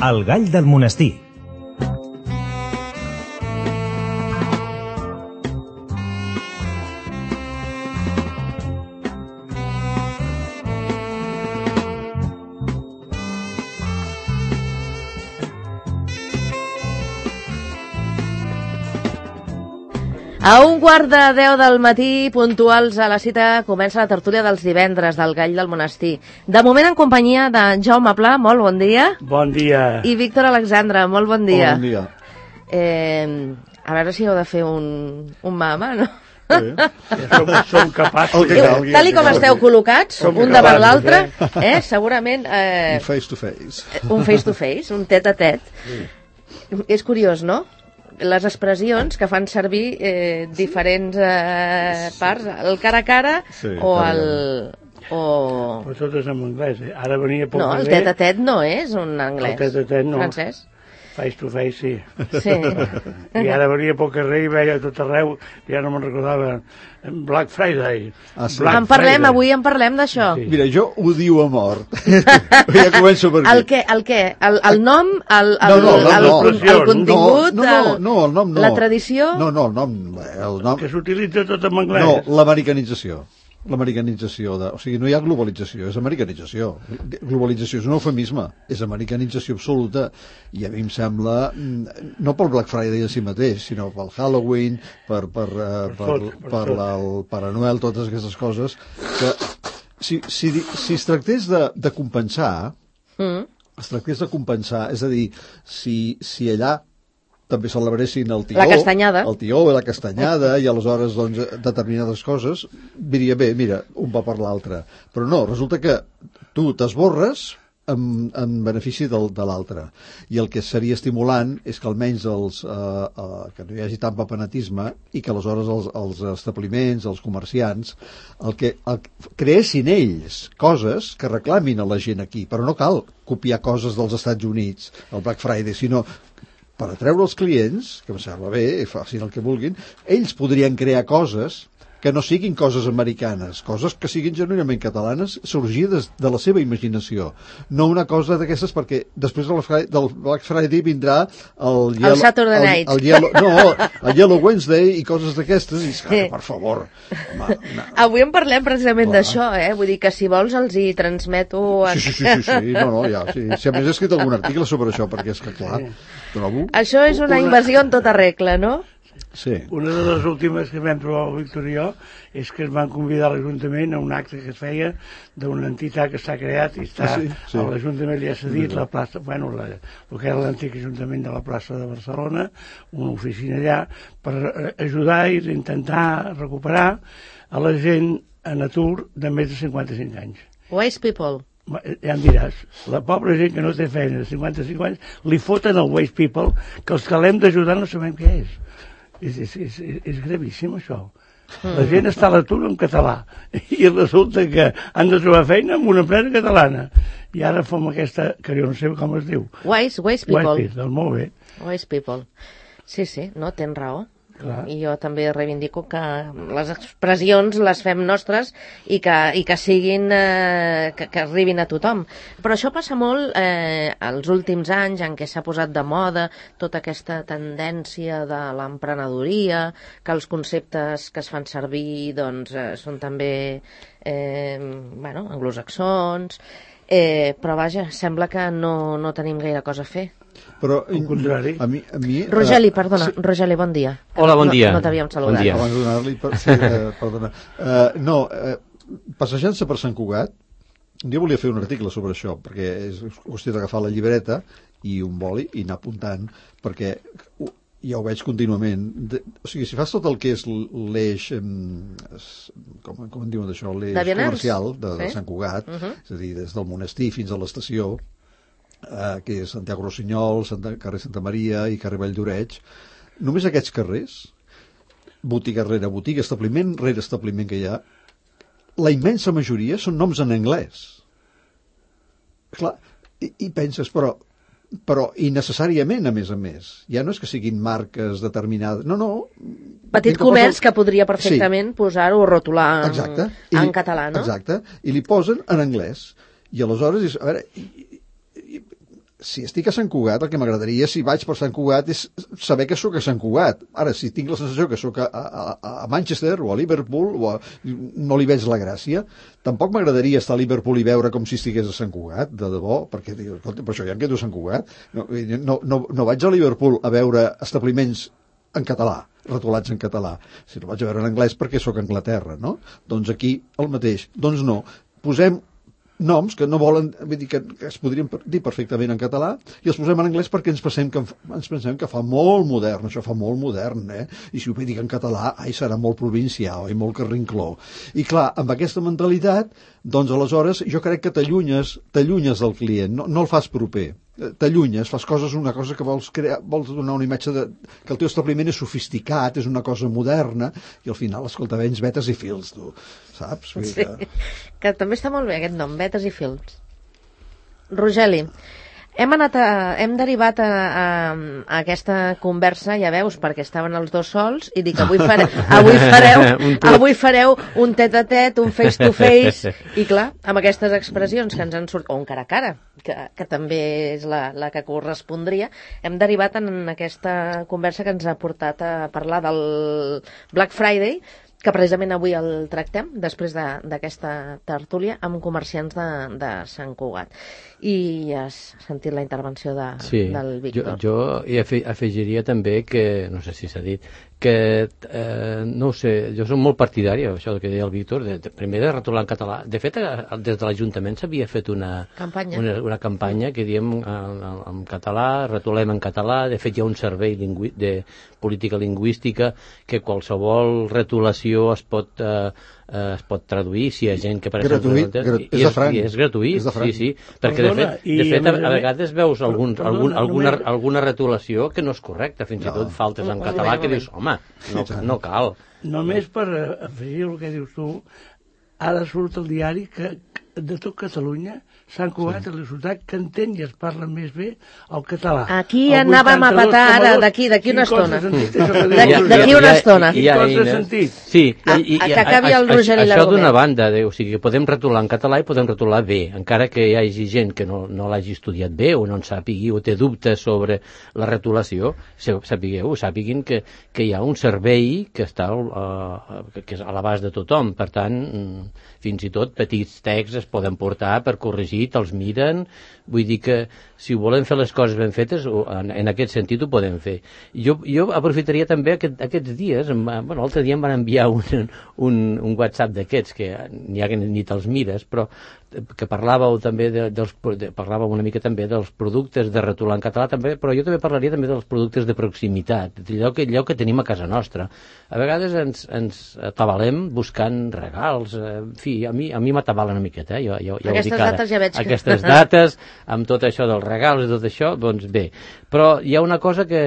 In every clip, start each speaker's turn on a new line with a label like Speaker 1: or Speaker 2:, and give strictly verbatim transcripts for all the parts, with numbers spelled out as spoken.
Speaker 1: El gall del monestir.
Speaker 2: A un quart de deu del matí, puntuals a la cita, comença la tertúlia dels divendres del Gall del Monestir. De moment en companyia de Jaume Pla, molt bon dia.
Speaker 3: Bon dia.
Speaker 2: I Víctor Alexandre, molt bon dia.
Speaker 4: Bon dia.
Speaker 2: Eh, a veure si heu de fer un, un mama, no?
Speaker 3: Sí. Ja som, som capaços.
Speaker 4: Okay,
Speaker 2: Eh, Tal i com esteu col·locats,
Speaker 3: Som
Speaker 2: un davant
Speaker 3: capaços,
Speaker 2: l'altre,
Speaker 3: eh?
Speaker 2: eh, segurament... Eh,
Speaker 4: Un face to face.
Speaker 2: un face to face, un tet a tet. Sí. És curiós, no? Les expressions que fan servir eh, diferents eh, parts, el cara a cara
Speaker 4: Sí,
Speaker 2: o
Speaker 4: cara a
Speaker 2: el... O...
Speaker 3: Però tot és en anglès, eh? Ara venia pel
Speaker 2: No, el
Speaker 3: carrer,
Speaker 2: tet a tet no és un anglès.
Speaker 3: El tet a tet no.
Speaker 2: Francès.
Speaker 3: face to face, sí.
Speaker 2: Sí.
Speaker 3: I ara venia pel carrer i veia tot arreu, ja no me'n recordava, Black Friday.
Speaker 4: Ah, sí.
Speaker 3: Black
Speaker 2: En parlem,
Speaker 3: Friday.
Speaker 2: avui en parlem d'això.
Speaker 3: Sí.
Speaker 4: Mira, jo odio a mort. Ja començo per aquí.
Speaker 2: El què? El què? El, el nom? El, el,
Speaker 4: No, no, el
Speaker 2: el,
Speaker 4: nom
Speaker 2: el,
Speaker 3: no.
Speaker 2: el contingut?
Speaker 4: No, no,
Speaker 2: el,
Speaker 4: no, el nom no.
Speaker 2: La tradició?
Speaker 4: No, no, el nom... El nom
Speaker 3: Que s'utilitza tot en anglès.
Speaker 4: no, l'americanització. L'americanització. De, o sigui, no hi ha globalització, és americanització. Globalització és un eufemisme, és americanització absoluta. I a mi em sembla, mm, no pel Black Friday en si mateix, sinó pel Halloween, per, per, uh, per,
Speaker 3: Per tot, per
Speaker 4: per
Speaker 3: tot.
Speaker 4: la, el Pare Noel, totes aquestes coses, que si, si, si es tractés de, de compensar,
Speaker 2: Mm.
Speaker 4: es tractés de compensar, és a dir, si, si allà també celebressin el tió,
Speaker 2: La castanyada.
Speaker 4: el tió i la castanyada, i aleshores doncs, determinades coses, diria bé, mira, un va per l'altre. Però no, resulta que tu t'esborres en, en benefici del, de l'altre. I el que seria estimulant és que almenys els, eh, eh, que no hi hagi tant papenatisme i que aleshores els, els establiments, els comerciants, el que el, creessin ells coses que reclamin a la gent aquí, però no cal copiar coses dels Estats Units, el Black Friday, sinó per atreure els clients, que em sembla bé, facin el que vulguin, ells podrien crear coses que no siguin coses americanes, coses que siguin genuïnament catalanes, sorgides de la seva imaginació. No una cosa d'aquestes, perquè després del Friday, del Black Friday vindrà el,
Speaker 2: El Saturday Night.
Speaker 4: El, el yellow, no, el Yellow Wednesday i coses d'aquestes, i és que, per favor. Home, no.
Speaker 2: Avui en parlem precisament
Speaker 4: Clar.
Speaker 2: d'això, eh? Vull dir que si vols els hi transmeto...
Speaker 4: Sí, sí, sí, sí, sí, no, no, ja, sí. Si a més he escrit algun article sobre això, perquè és que, clar, trobo...
Speaker 2: Això és una invasió en tota regla, no?
Speaker 4: Sí.
Speaker 3: Una de les últimes que vam trobar el Víctor i jo és que es van convidar a l'Ajuntament a un acte que es feia d'una entitat que s'ha creat i està
Speaker 4: Ah, sí? Sí.
Speaker 3: a l'Ajuntament li ha cedit la plaça, bueno, la, el que era l'antic Ajuntament de la plaça de Barcelona, una oficina allà, per eh, ajudar i intentar recuperar a la gent en atur de més de cinquanta-cinc anys.
Speaker 2: Wise people.
Speaker 3: Ja em diràs, la pobra gent que no té feina de cinquanta-cinc anys li foten el Waste People, que els que l'hem d'ajudar no sabem què és. És, és, és, és gravíssim això. La gent està a l'atur en català i resulta que han de trobar feina en una empresa catalana i ara fem aquesta, que jo no sé com es diu,
Speaker 2: Wise, wise people.
Speaker 3: Waste People, molt bé.
Speaker 2: Wise people. Sí, sí, no, tens raó.
Speaker 3: Clar.
Speaker 2: I jo també reivindico que les expressions les fem nostres i que, i que siguin eh, que, que arribin a tothom. Però això passa molt eh, els últims anys en què s'ha posat de moda tota aquesta tendència de l'emprenedoria, que els conceptes que es fan servir doncs, eh, són també eh, bueno, anglosaxons, eh, però vaja, sembla que no, no tenim gaire cosa a fer.
Speaker 4: Però,
Speaker 3: Al contrari.
Speaker 4: A mi, a mi,
Speaker 2: Rogeli,
Speaker 4: eh,
Speaker 2: perdona,
Speaker 4: sí.
Speaker 2: Rogeli, bon dia.
Speaker 5: Hola, bon dia.
Speaker 2: No, no t'havíem saludat.
Speaker 5: Bon dia.
Speaker 4: Abans de donar-li... Per, sí, eh, perdona. Uh, no, eh, passejant-se per Sant Cugat, un dia volia fer un article sobre això, perquè és qüestió d'agafar la llibreta i un boli i anar apuntant, perquè ja ho veig contínuament. De, o sigui, si fas tot el que és l'eix, com, com en diuen d'això, l'eix comercial de, de Sant Cugat, uh -huh. és a dir, des del monestir fins a l'estació, eh, que és Santiago Rossinyol, Santa, carrer Santa Maria i carrer Vall d'Oreig, només aquests carrers, botiga rere botiga, establiment rere establiment que hi ha, la immensa majoria són noms en anglès. Clar, i, i penses, però però innecessàriament, a més a més. Ja no és que siguin marques determinades, no, no.
Speaker 2: Petit comerç que podria perfectament sí. posar-ho o rotular
Speaker 4: exacte.
Speaker 2: en, en
Speaker 4: I,
Speaker 2: català, no?
Speaker 4: Exacte, i li posen en anglès. I aleshores, a veure, i, i, si estic a Sant Cugat, el que m'agradaria, si vaig per Sant Cugat, és saber que sóc a Sant Cugat. Ara, si tinc la sensació que sóc a, a, a Manchester o a Liverpool, o a, no li veig la gràcia. Tampoc m'agradaria estar a Liverpool i veure com si estigués a Sant Cugat, de debò, perquè per això ja em quedo a Sant Cugat. No, no, no, no vaig a Liverpool a veure establiments en català, retolats en català. Si no vaig a veure en anglès perquè sóc a Anglaterra, no? Doncs aquí el mateix. Doncs no, posem noms que no volen, vull dir que, que es podrien dir perfectament en català i els posem en anglès perquè ens pensem que, ens pensem que fa molt modern, això fa molt modern, eh? I si ho dic en català, ai, serà molt provincial i molt carrincló. I clar, amb aquesta mentalitat, doncs aleshores jo crec que t'allunyes, t'allunyes del client, no, no el fas proper. T'allunyes, fas coses, una cosa que vols crear, vols donar una imatge de, que el teu establiment és sofisticat, és una cosa moderna, i al final, escolta, vens vetes i fils, tu, saps?
Speaker 2: Sí, que... que també està molt bé aquest nom, vetes i fils. Rogeli, hem anat a, hem derivat a, a, a aquesta conversa, ja veus, perquè estaven els dos sols, i dic, avui, fare, avui, fareu, avui fareu un tet a tet, un face to face, i clar, amb aquestes expressions que ens han sortit, o un cara a cara, que, que també és la, la que correspondria, hem derivat en aquesta conversa que ens ha portat a parlar del Black Friday, que precisament avui el tractem, després d'aquesta de, tertúlia, amb comerciants de, de Sant Cugat. I has sentit la intervenció de,
Speaker 1: sí,
Speaker 2: del Víctor.
Speaker 1: Jo, jo hi afegiria també que, no sé si s'ha dit, que, eh, no ho sé, jo soc molt partidari, això que deia el Víctor, de, de, primer de retolar en català. De fet, des de l'Ajuntament s'havia fet una
Speaker 2: campanya,
Speaker 1: una, una campanya que diem en, en català, retolem en català. De fet, hi ha un servei lingüí de política lingüística que qualsevol retolació es pot, eh, es pot traduir si hi ha gent que... Per
Speaker 4: gratuït,
Speaker 1: exemple,
Speaker 4: grat, és, és,
Speaker 1: és, és gratuït, és sí, sí, perquè
Speaker 3: Perdona,
Speaker 1: de fet, de fet a, a
Speaker 3: a
Speaker 1: vegades veus algun,
Speaker 3: perdona,
Speaker 1: algun, alguna,
Speaker 3: només...
Speaker 1: alguna retolació que no és correcta, fins no. i tot faltes en català que dius, home, no, no cal.
Speaker 3: Només per afegir el que dius tu, ara surt el diari que de tot Catalunya Sant Cugat sí. és la ciutat que entén i es parla més bé el català.
Speaker 2: Aquí el anàvem a petar ara, d'aquí, d'aquí una estona. D'aquí una estona.
Speaker 3: Quin cos de sentit.
Speaker 1: Sí,
Speaker 2: a, i, a, que acabi el Rogeli
Speaker 1: això d'una banda, de, o sigui, podem retolar en català i podem retolar bé, encara que hi hagi gent que no, no l'hagi estudiat bé o no en sàpigui o té dubtes sobre la retolació, sapigueu, sàpiguin que, que hi ha un servei que està uh, que és a l'abast de tothom, per tant, fins i tot petits texts es poden portar per corregir, te'ls miren, vull dir que si volem fer les coses ben fetes, en, en aquest sentit ho podem fer. Jo, jo aprofitaria també aquest, aquests dies, bueno, l'altre dia em van enviar un, un, un WhatsApp d'aquests, que n'hi ha que ni te'ls mires, però que parlàveu també de, dels, de, parlàveu una mica també dels productes de retolar en català també, però jo també parlaria també dels productes de proximitat, allò que, allò que tenim a casa nostra. A vegades ens, ens atabalem buscant regals, en fi, a mi, a mi m'atabala una miqueta, eh? jo, jo, ja
Speaker 2: Aquestes
Speaker 1: ho dic ara.
Speaker 2: dates ja veig que...
Speaker 1: Aquestes dates, amb tot això dels regals i tot això, doncs bé. Però hi ha una cosa que,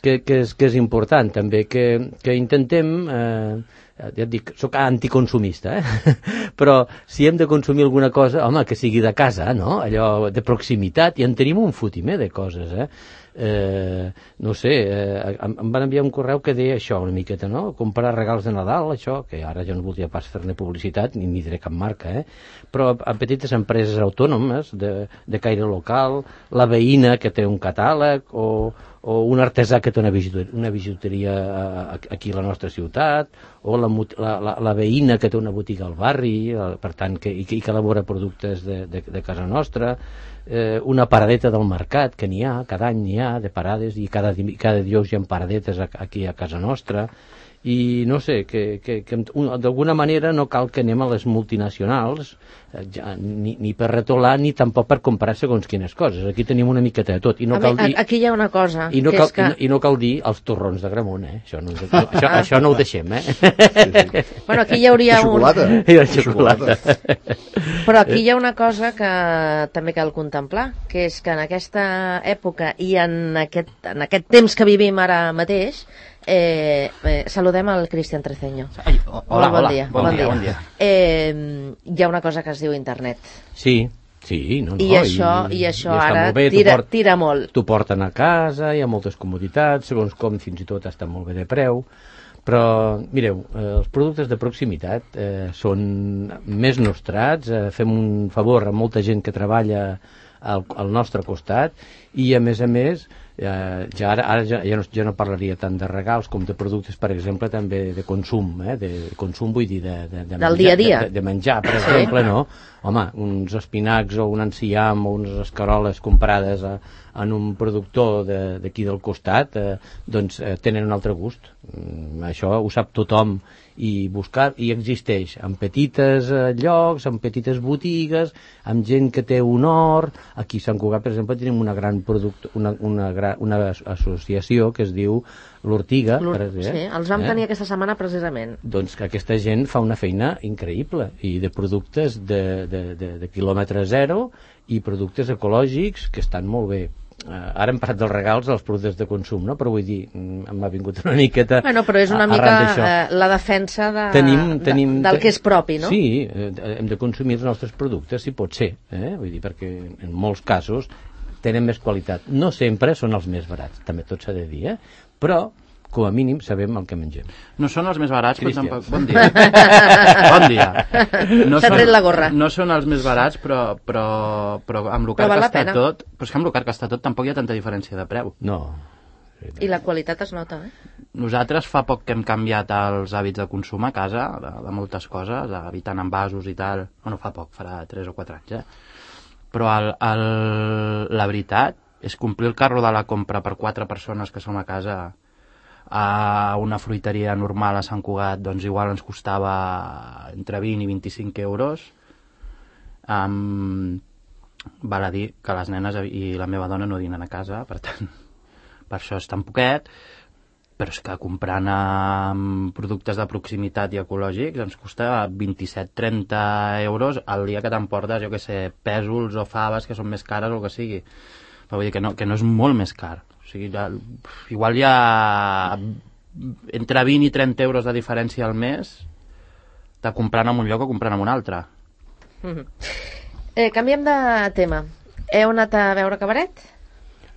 Speaker 1: que, que, és, que és important també, que, que intentem... Eh, ja et dic, soc anticonsumista, eh? Però si hem de consumir alguna cosa, home, que sigui de casa, no? Allò de proximitat, i en tenim un fotimer de coses, eh? Eh, no sé, eh, em van enviar un correu que deia això una miqueta, no? Comprar regals de Nadal, això, que ara jo no voldria pas fer-ne publicitat, ni ni diré cap marca, eh? Però a petites empreses autònomes de, de caire local, la veïna que té un catàleg, o, o un artesà que té una bijuteria, una bijuteria aquí a la nostra ciutat, o la, la, la, la veïna que té una botiga al barri, per tant, que, i, que, i que elabora productes de, de, de casa nostra, eh, una paradeta del mercat, que n'hi ha, cada any n'hi ha de parades, i cada, cada dijous hi ha paradetes aquí a casa nostra, i no sé, que, que, que d'alguna manera no cal que anem a les multinacionals, eh, ja, ni, ni per retolar ni tampoc per comprar segons quines coses. Aquí tenim una miqueta de tot. I no cal dir,
Speaker 2: aquí hi ha una cosa,
Speaker 1: i no
Speaker 2: que
Speaker 1: cal,
Speaker 2: és que...
Speaker 1: I no, i no cal dir els torrons de Gramunt, eh? Això no, no, això, això no ho deixem, eh? Sí,
Speaker 2: sí. Bueno, aquí hi hauria
Speaker 4: un... xocolata.
Speaker 1: I la xocolata.
Speaker 2: Però aquí hi ha una cosa que també cal contemplar, que és que en aquesta època i en aquest, en aquest temps que vivim ara mateix, Eh, eh, saludem al Cristian Treceño.
Speaker 5: Ai, hola,
Speaker 2: bon
Speaker 5: hola,
Speaker 2: dia,
Speaker 5: bon,
Speaker 2: bon
Speaker 5: dia,
Speaker 2: dia.
Speaker 5: bon dia.
Speaker 2: Eh, hi ha una cosa que es diu internet.
Speaker 1: Sí, sí, no, no.
Speaker 2: I això, i, i això
Speaker 1: i
Speaker 2: ara
Speaker 1: bé,
Speaker 2: tira,
Speaker 1: port,
Speaker 2: tira molt.
Speaker 1: T'ho porten a casa, hi ha moltes comoditats, segons com fins i tot està molt bé de preu, Però, mireu, eh, els productes de proximitat eh, són més nostrats, eh, fem un favor a molta gent que treballa al, al nostre costat i, a més a més, eh, ja ara, ara ja, ja, no, ja no parlaria tant de regals com de productes, per exemple, també de consum, eh, de consum vull dir de, de, de,
Speaker 2: del
Speaker 1: menjar,
Speaker 2: dia a dia.
Speaker 1: De, de menjar, per exemple, sí. No? Home, uns espinacs o un enciam o unes escaroles comprades a, en un productor d'aquí de, del costat, eh, doncs eh, tenen un altre gust. Mm, això ho sap tothom i buscar, i existeix en petites eh, llocs, en petites botigues, amb gent que té un hort. Aquí a Sant Cugat, per exemple, tenim una gran product, una, una, gran, una associació que es diu l'Ortiga.
Speaker 2: Sí, els vam eh? tenir aquesta setmana precisament.
Speaker 1: Doncs que aquesta gent fa una feina increïble, i de productes de, de, de, de quilòmetre zero i productes ecològics que estan molt bé. Uh, ara hem parlat dels regals dels productes de consum, no? Però vull dir, m'ha vingut una miqueta
Speaker 2: bueno, però és una mica uh, la defensa de, tenim, tenim, de, del que és propi, no?
Speaker 1: Sí, hem de consumir els nostres productes, si pot ser, eh? Vull dir, perquè en molts casos tenen més qualitat. No sempre són els més barats, també tot s'ha de dir, eh? Però com a mínim sabem el que mengem.
Speaker 5: No són els més barats, però tampoc... Bon dia. Bon dia. No
Speaker 2: S'ha tret la gorra.
Speaker 5: No són els més barats, però, però, però amb el car que està tot... Però és que amb el car que està tot tampoc hi ha tanta diferència de preu.
Speaker 1: No.
Speaker 2: I la qualitat es nota, eh?
Speaker 5: Nosaltres fa poc que hem canviat els hàbits de consum a casa, de, de moltes coses, evitant envasos i tal. Bueno, fa poc, farà tres o quatre anys, eh? Però el, el, la veritat és complir el carro de la compra per quatre persones que som a casa... a una fruiteria normal a Sant Cugat, doncs igual ens costava entre vint i vint-i-cinc euros. Um, val a dir que les nenes i la meva dona no dinen a casa, per tant, per això és tan poquet, però és que comprant um, productes de proximitat i ecològics ens costa vint-i-set a trenta euros el dia que t'emportes, jo que sé, pèsols o faves que són més cares o el que sigui. Però vull dir que no, que no és molt més car. O sigui, ja, igual hi ha entre vint i trenta euros de diferència al mes de comprant en un lloc o comprant en un altre.
Speaker 2: Mm-hmm. eh, canviem de tema. Heu anat a veure Cabaret?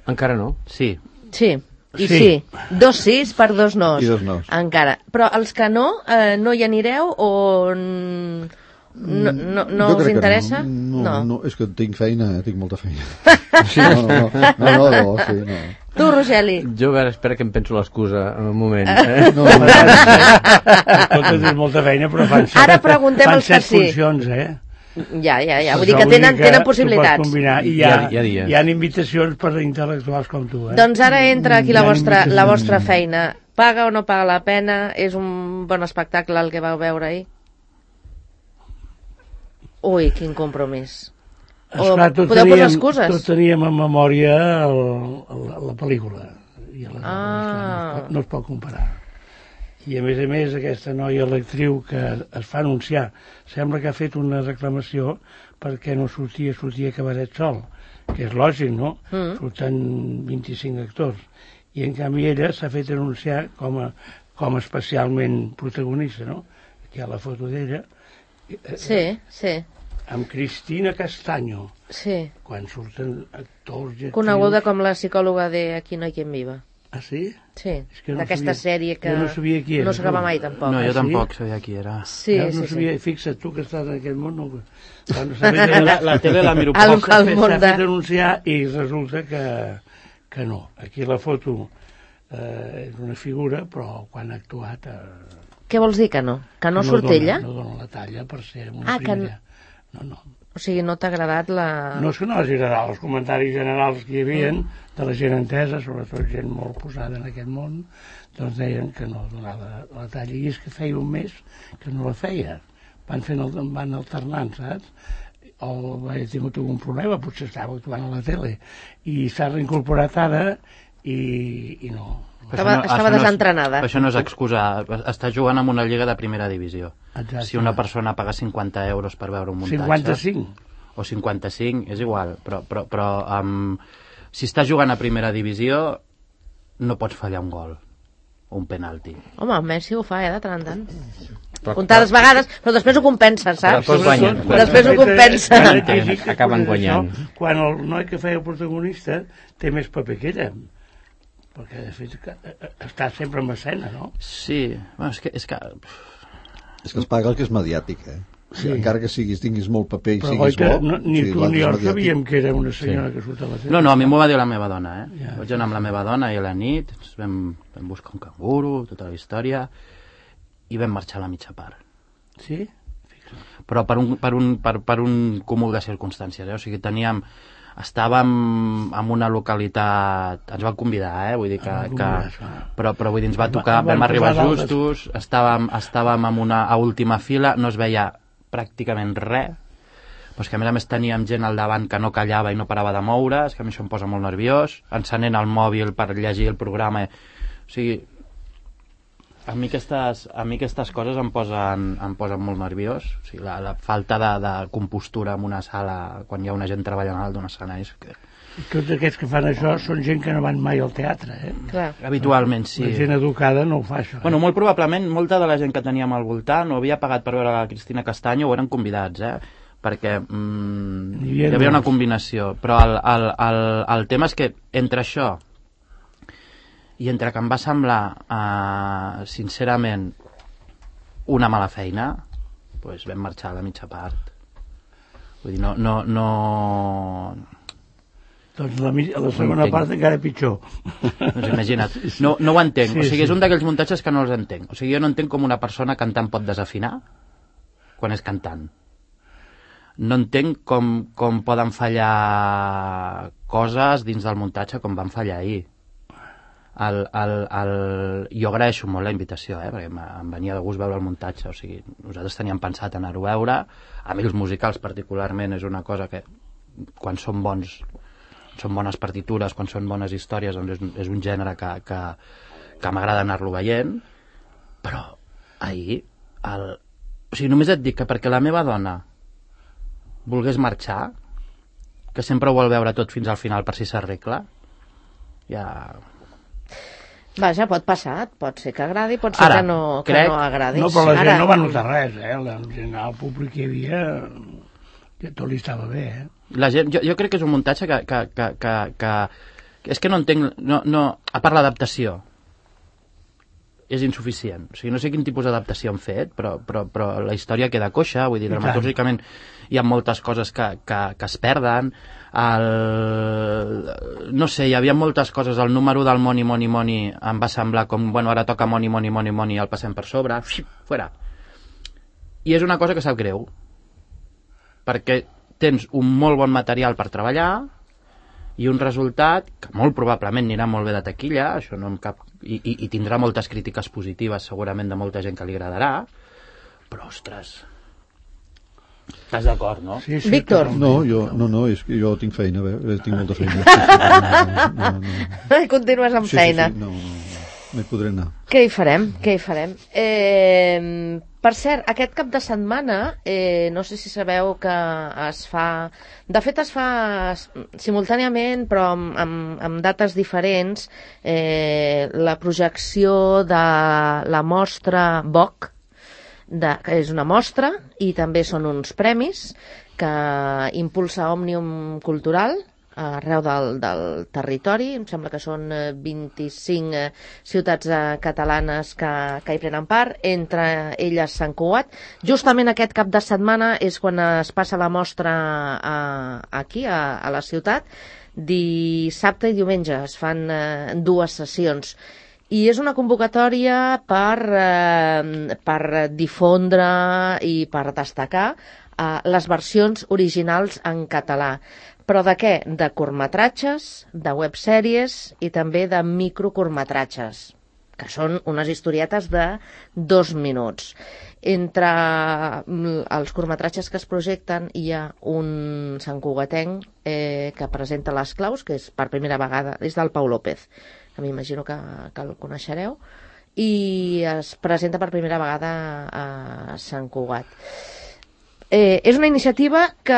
Speaker 1: Encara no.
Speaker 5: Sí.
Speaker 2: Sí, i sí. sí. Dos sís per dos nos.
Speaker 4: I dos nos.
Speaker 2: Encara. Però els que no, eh, no hi anireu o... No, no, no us interessa?
Speaker 4: No, no, no, és que tinc feina, tinc molta feina. Sí, no, no, no, no, no, no, sí, no.
Speaker 2: Tu, Rogeli?
Speaker 1: Jo, a veure, espera que em penso l'excusa en un moment. Eh?
Speaker 3: No, no, no, tens molta feina, però fan set,
Speaker 2: ara preguntem els que sí.
Speaker 3: funcions, eh?
Speaker 2: Ja, ja, ja, vull dir que tenen, tenen possibilitats.
Speaker 3: I hi ha, hi, ha, hi ha invitacions per intel·lectuals com tu, eh?
Speaker 2: Doncs ara entra aquí la vostra, la vostra feina. Paga o no paga la pena? És un bon espectacle el que vau veure ahir? Ui, quin compromís.
Speaker 3: Esclar, tot
Speaker 2: podeu
Speaker 3: teníem,
Speaker 2: posar excuses?
Speaker 3: Tot teníem en memòria el, el, la pel·lícula. I la,
Speaker 2: ah.
Speaker 3: no, es pot, no es pot comparar. I a més a més aquesta noia, l'actriu que es fa anunciar, sembla que ha fet una reclamació perquè no sortia, sortia Cabaret sol, que és lògic, no? Mm. Surten vint-i-cinc actors. I en canvi ella s'ha fet anunciar com a, com a especialment protagonista, no? Aquí hi ha la foto d'ella.
Speaker 2: Sí, sí.
Speaker 3: Amb Cristina Castaño.
Speaker 2: Sí.
Speaker 3: Quan surten actors i actrius...
Speaker 2: Coneguda com la psicòloga de Aquí no hay quien viva.
Speaker 3: Ah, sí?
Speaker 2: Sí,
Speaker 3: es que no
Speaker 2: d'aquesta sèrie que
Speaker 3: no, sabia qui era,
Speaker 2: no s'acaba mai, tampoc.
Speaker 5: No, jo
Speaker 3: ah,
Speaker 5: tampoc
Speaker 3: sí?
Speaker 5: sabia qui era.
Speaker 2: Sí,
Speaker 3: ja,
Speaker 2: sí,
Speaker 3: no sabia,
Speaker 2: sí.
Speaker 3: Fixa't, tu que estàs en aquest món, no...
Speaker 5: la, la tele la miro
Speaker 2: el,
Speaker 5: poc.
Speaker 2: el món
Speaker 3: S'ha
Speaker 2: de...
Speaker 3: fet anunciar i resulta que, que no. Aquí la foto eh, és una figura, però quan ha actuat... Eh,
Speaker 2: Què vols dir que no? Que no, no surt
Speaker 3: dona,
Speaker 2: ella?
Speaker 3: No dona la talla per ser una
Speaker 2: ah,
Speaker 3: primera.
Speaker 2: Que...
Speaker 3: No, no.
Speaker 2: O sigui, no t'ha agradat la...
Speaker 3: No és que no hagi agradat, els comentaris generals que hi havia mm. de la gent entesa, sobretot gent molt posada en aquest món, doncs deien que no donava la talla. I és que feia un mes que no la feia. Van, fent el, van alternant, saps? O vaig tingut algun problema, potser estava actuant a la tele. I s'ha reincorporat ara i, i no...
Speaker 2: Estava,
Speaker 5: no,
Speaker 2: estava desentrenada.
Speaker 5: No és, això no és excusa. Està jugant en una lliga de primera divisió.
Speaker 3: Exacte.
Speaker 5: Si una persona paga cinquanta euros per veure un muntatge...
Speaker 3: cinquanta-cinc?
Speaker 5: O cinquanta-cinc, és igual. Però, però, però um, si està jugant a primera divisió, no pots fallar un gol o un penalti.
Speaker 2: Home, el Messi ho fa, eh, de tant en tant. Comptades vegades, però després ho compensa, saps?
Speaker 1: Després guanyen.
Speaker 2: Després ho compensa.
Speaker 1: Acaben guanyant.
Speaker 3: Quan el noi que feia el protagonista té més paper que ella. perquè de fet està sempre en escena, no?
Speaker 5: Sí, bueno, és que... És que,
Speaker 4: és que es paga el que és mediàtic, eh? Sí. Encara que siguis, tinguis molt paper i
Speaker 3: però
Speaker 4: siguis
Speaker 3: que,
Speaker 4: bo...
Speaker 3: no, ni
Speaker 4: sí,
Speaker 3: tu ni jo
Speaker 4: mediàtic.
Speaker 3: sabíem que era una senyora sí. que surt a la tele.
Speaker 5: No, no, a mi m'ho va dir la meva dona, eh?
Speaker 3: Ja,
Speaker 5: Vaig anar amb la meva dona i a la nit ens vam, vam buscar un canguro, tota la història, i vam marxar a la mitja part.
Speaker 3: Sí?
Speaker 5: Però per un, per un, per, per un cúmul de circumstàncies, eh? O sigui, teníem... Estàvem en una localitat... Ens van convidar, eh? Vull dir que... que però, però vull dir, ens va tocar... Vam arribar justos, estàvem, estàvem en una a última fila, no es veia pràcticament res, però és que a més a més teníem gent al davant que no callava i no parava de moure, és que a mi això em posa molt nerviós, encenent el mòbil per llegir el programa, o sigui, a mi aquestes, a mi aquestes coses em posen, em posen molt nerviós, o sigui, la, la falta de, de compostura en una sala quan hi ha una gent treballant a dalt d'un escenari. Que...
Speaker 3: Tots aquests que fan això són gent que no van mai al teatre, eh?
Speaker 2: Clar.
Speaker 5: Habitualment, sí.
Speaker 3: La gent educada no ho fa, això. Eh?
Speaker 5: Bueno, molt probablement, molta de la gent que teníem al voltant ho havia pagat per veure la Cristina Castanyo o eren convidats, eh? Perquè mm, hi havia, hi havia una combinació. Però el, el, el, el tema és que entre això i entre que em va semblar, eh, sincerament, una mala feina, doncs vam marxar a la mitja part. Vull dir, no... no, no...
Speaker 3: Doncs la, la segona no part encara pitjor.
Speaker 5: Doncs imagina't. No, no ho entenc. Sí, o sigui, és
Speaker 3: sí.
Speaker 5: un d'aquells muntatges que no els entenc. O sigui, jo no entenc com una persona cantant pot desafinar quan és cantant. No entenc com, com poden fallar coses dins del muntatge com van fallar ahir. El, el, el... Jo agraeixo molt la invitació, eh? Perquè em venia de gust veure el muntatge. O sigui, nosaltres teníem pensat anar-ho a veure. A mi els musicals particularment és una cosa que quan són bons... són bones partitures, quan són bones històries, doncs és, és un gènere que, que, que m'agrada anar-lo veient, però ahir el... o sigui, només et dic que perquè la meva dona volgués marxar, que sempre ho vol veure tot fins al final per si s'arregla, ja...
Speaker 2: Vaja, pot passar, pot ser que agradi, pot ser
Speaker 5: Ara,
Speaker 2: que no, que
Speaker 5: crec...
Speaker 2: no agradi.
Speaker 3: No, però la gent
Speaker 2: Ara...
Speaker 3: no va notar res, eh? La gent, el públic que hi havia, que tot li estava bé, eh?
Speaker 5: La gent, jo, jo crec que és un muntatge que, que, que, que, que, que és que no entenc, no, no, a part l'adaptació és insuficient, o sigui, no sé quin tipus d'adaptació han fet, però, però, però la història queda coixa, vull dir, dramatúrgicament hi ha moltes coses que, que, que es perden, el... no sé, hi havia moltes coses, el número del Money, Money, Money em va semblar com, bueno, ara toca Money, Money, Money, Money, el passem per sobre, fora, i és una cosa que sap greu, perquè tens un molt bon material per treballar i un resultat que molt probablement anirà molt bé de taquilla, això no em cap... I, i, i tindrà moltes crítiques positives segurament de molta gent que li agradarà, però ostres, estàs d'acord, no?
Speaker 3: Sí, sí,
Speaker 2: Víctor.
Speaker 4: No, jo, no, no, és que jo tinc feina, bé, tinc molta feina. Sí, sí, no, no, no.
Speaker 2: Continues amb
Speaker 4: Sí,
Speaker 2: feina.
Speaker 4: sí, sí, no, no, no, no hi podré anar.
Speaker 2: Què hi farem? Què hi farem? Eh, per cert, aquest cap de setmana, eh, no sé si sabeu que es fa... De fet, es fa simultàniament, però amb, amb, amb dates diferents, eh, la projecció de la mostra B O C, de, que és una mostra, i també són uns premis que impulsa Òmnium Cultural, arreu del, del territori, em sembla que són vint-i-cinc eh, ciutats eh, catalanes que, que hi prenen part, entre elles Sant Cugat. Justament aquest cap de setmana és quan es passa la mostra a, aquí, a, a la ciutat. Dissabte i diumenge es fan eh, dues sessions. I és una convocatòria per, eh, per difondre i per destacar eh, les versions originals en català. Però de què? De curtmetratges, de websèries i també de microcurtmetratges, que són unes historietes de dos minuts. Entre els curtmetratges que es projecten hi ha un santcugatenc eh, que presenta Les claus, que és per primera vegada, és del Pau López, que m'imagino que, que el coneixereu, i es presenta per primera vegada a Sant Cugat. Eh, és una iniciativa que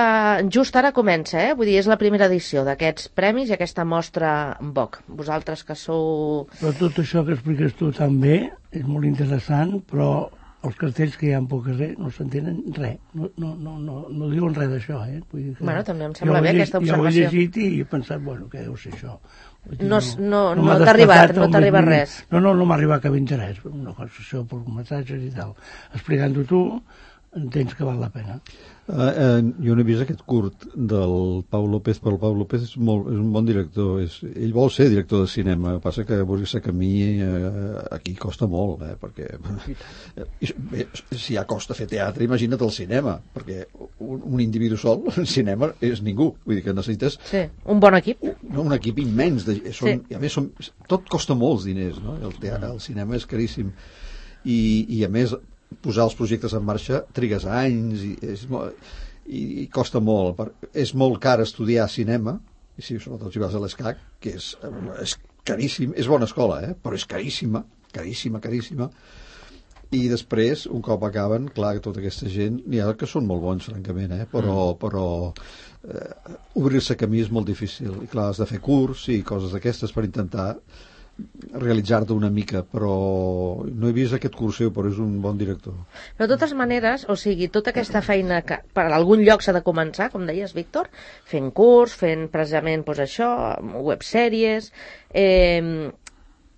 Speaker 2: just ara comença, eh? Vull dir, és la primera edició d'aquests premis i aquesta mostra B O C. Vosaltres que sou...
Speaker 3: Però tot això que expliques tu també és molt interessant, però els cartells que hi ha pel carrer no s'entenen res, no, no, no, no, no diuen res d'això, eh? Vull dir que
Speaker 2: bueno, també em sembla bé aquesta
Speaker 3: observació. Jo ho he llegit i he pensat, bueno, què deu ser això? Dir,
Speaker 2: no no, no,
Speaker 3: no
Speaker 2: no t'ha arribat, no t'ha arribat res.
Speaker 3: No, no, no m'ha arribat cap interès, una cosa, això, per curtmetratges i tal. Explicant-ho tu, entens que val la pena.
Speaker 4: Uh, uh, jo no he vist aquest curt del Pau López, però el Pau López és, molt, és un bon director, és, ell vol ser director de cinema, passa que obrir-se camí uh, aquí costa molt, eh, perquè uh, bé, si ja costa fer teatre, imagina't el cinema, perquè un, un individu sol en cinema és ningú, vull dir que necessites
Speaker 2: sí, un bon equip
Speaker 4: no, un equip immens de, són,
Speaker 2: sí.
Speaker 4: I a més són, tot costa molts diners, no? El, teatre, el cinema és caríssim i, i a més posar els projectes en marxa trigues anys i, és molt, i, i costa molt per, és molt car estudiar cinema i si sobretot si vas a l'ESCAC que és, és caríssim, és bona escola eh? Però és caríssima, caríssima, caríssima i després, un cop acaben clar que tota aquesta gent, n'hi ha que són molt bons francament, eh? però, mm. però eh, obrir-se camí és molt difícil i clar, has de fer curs i coses d'aquestes per intentar realitzar-te una mica, però no he vist aquest curs seu, però és un bon director.
Speaker 2: Però de totes maneres, o sigui, tota aquesta feina que per algun lloc s'ha de començar, com deies, Víctor, fent curs, fent precisament doncs, això, websèries, eh,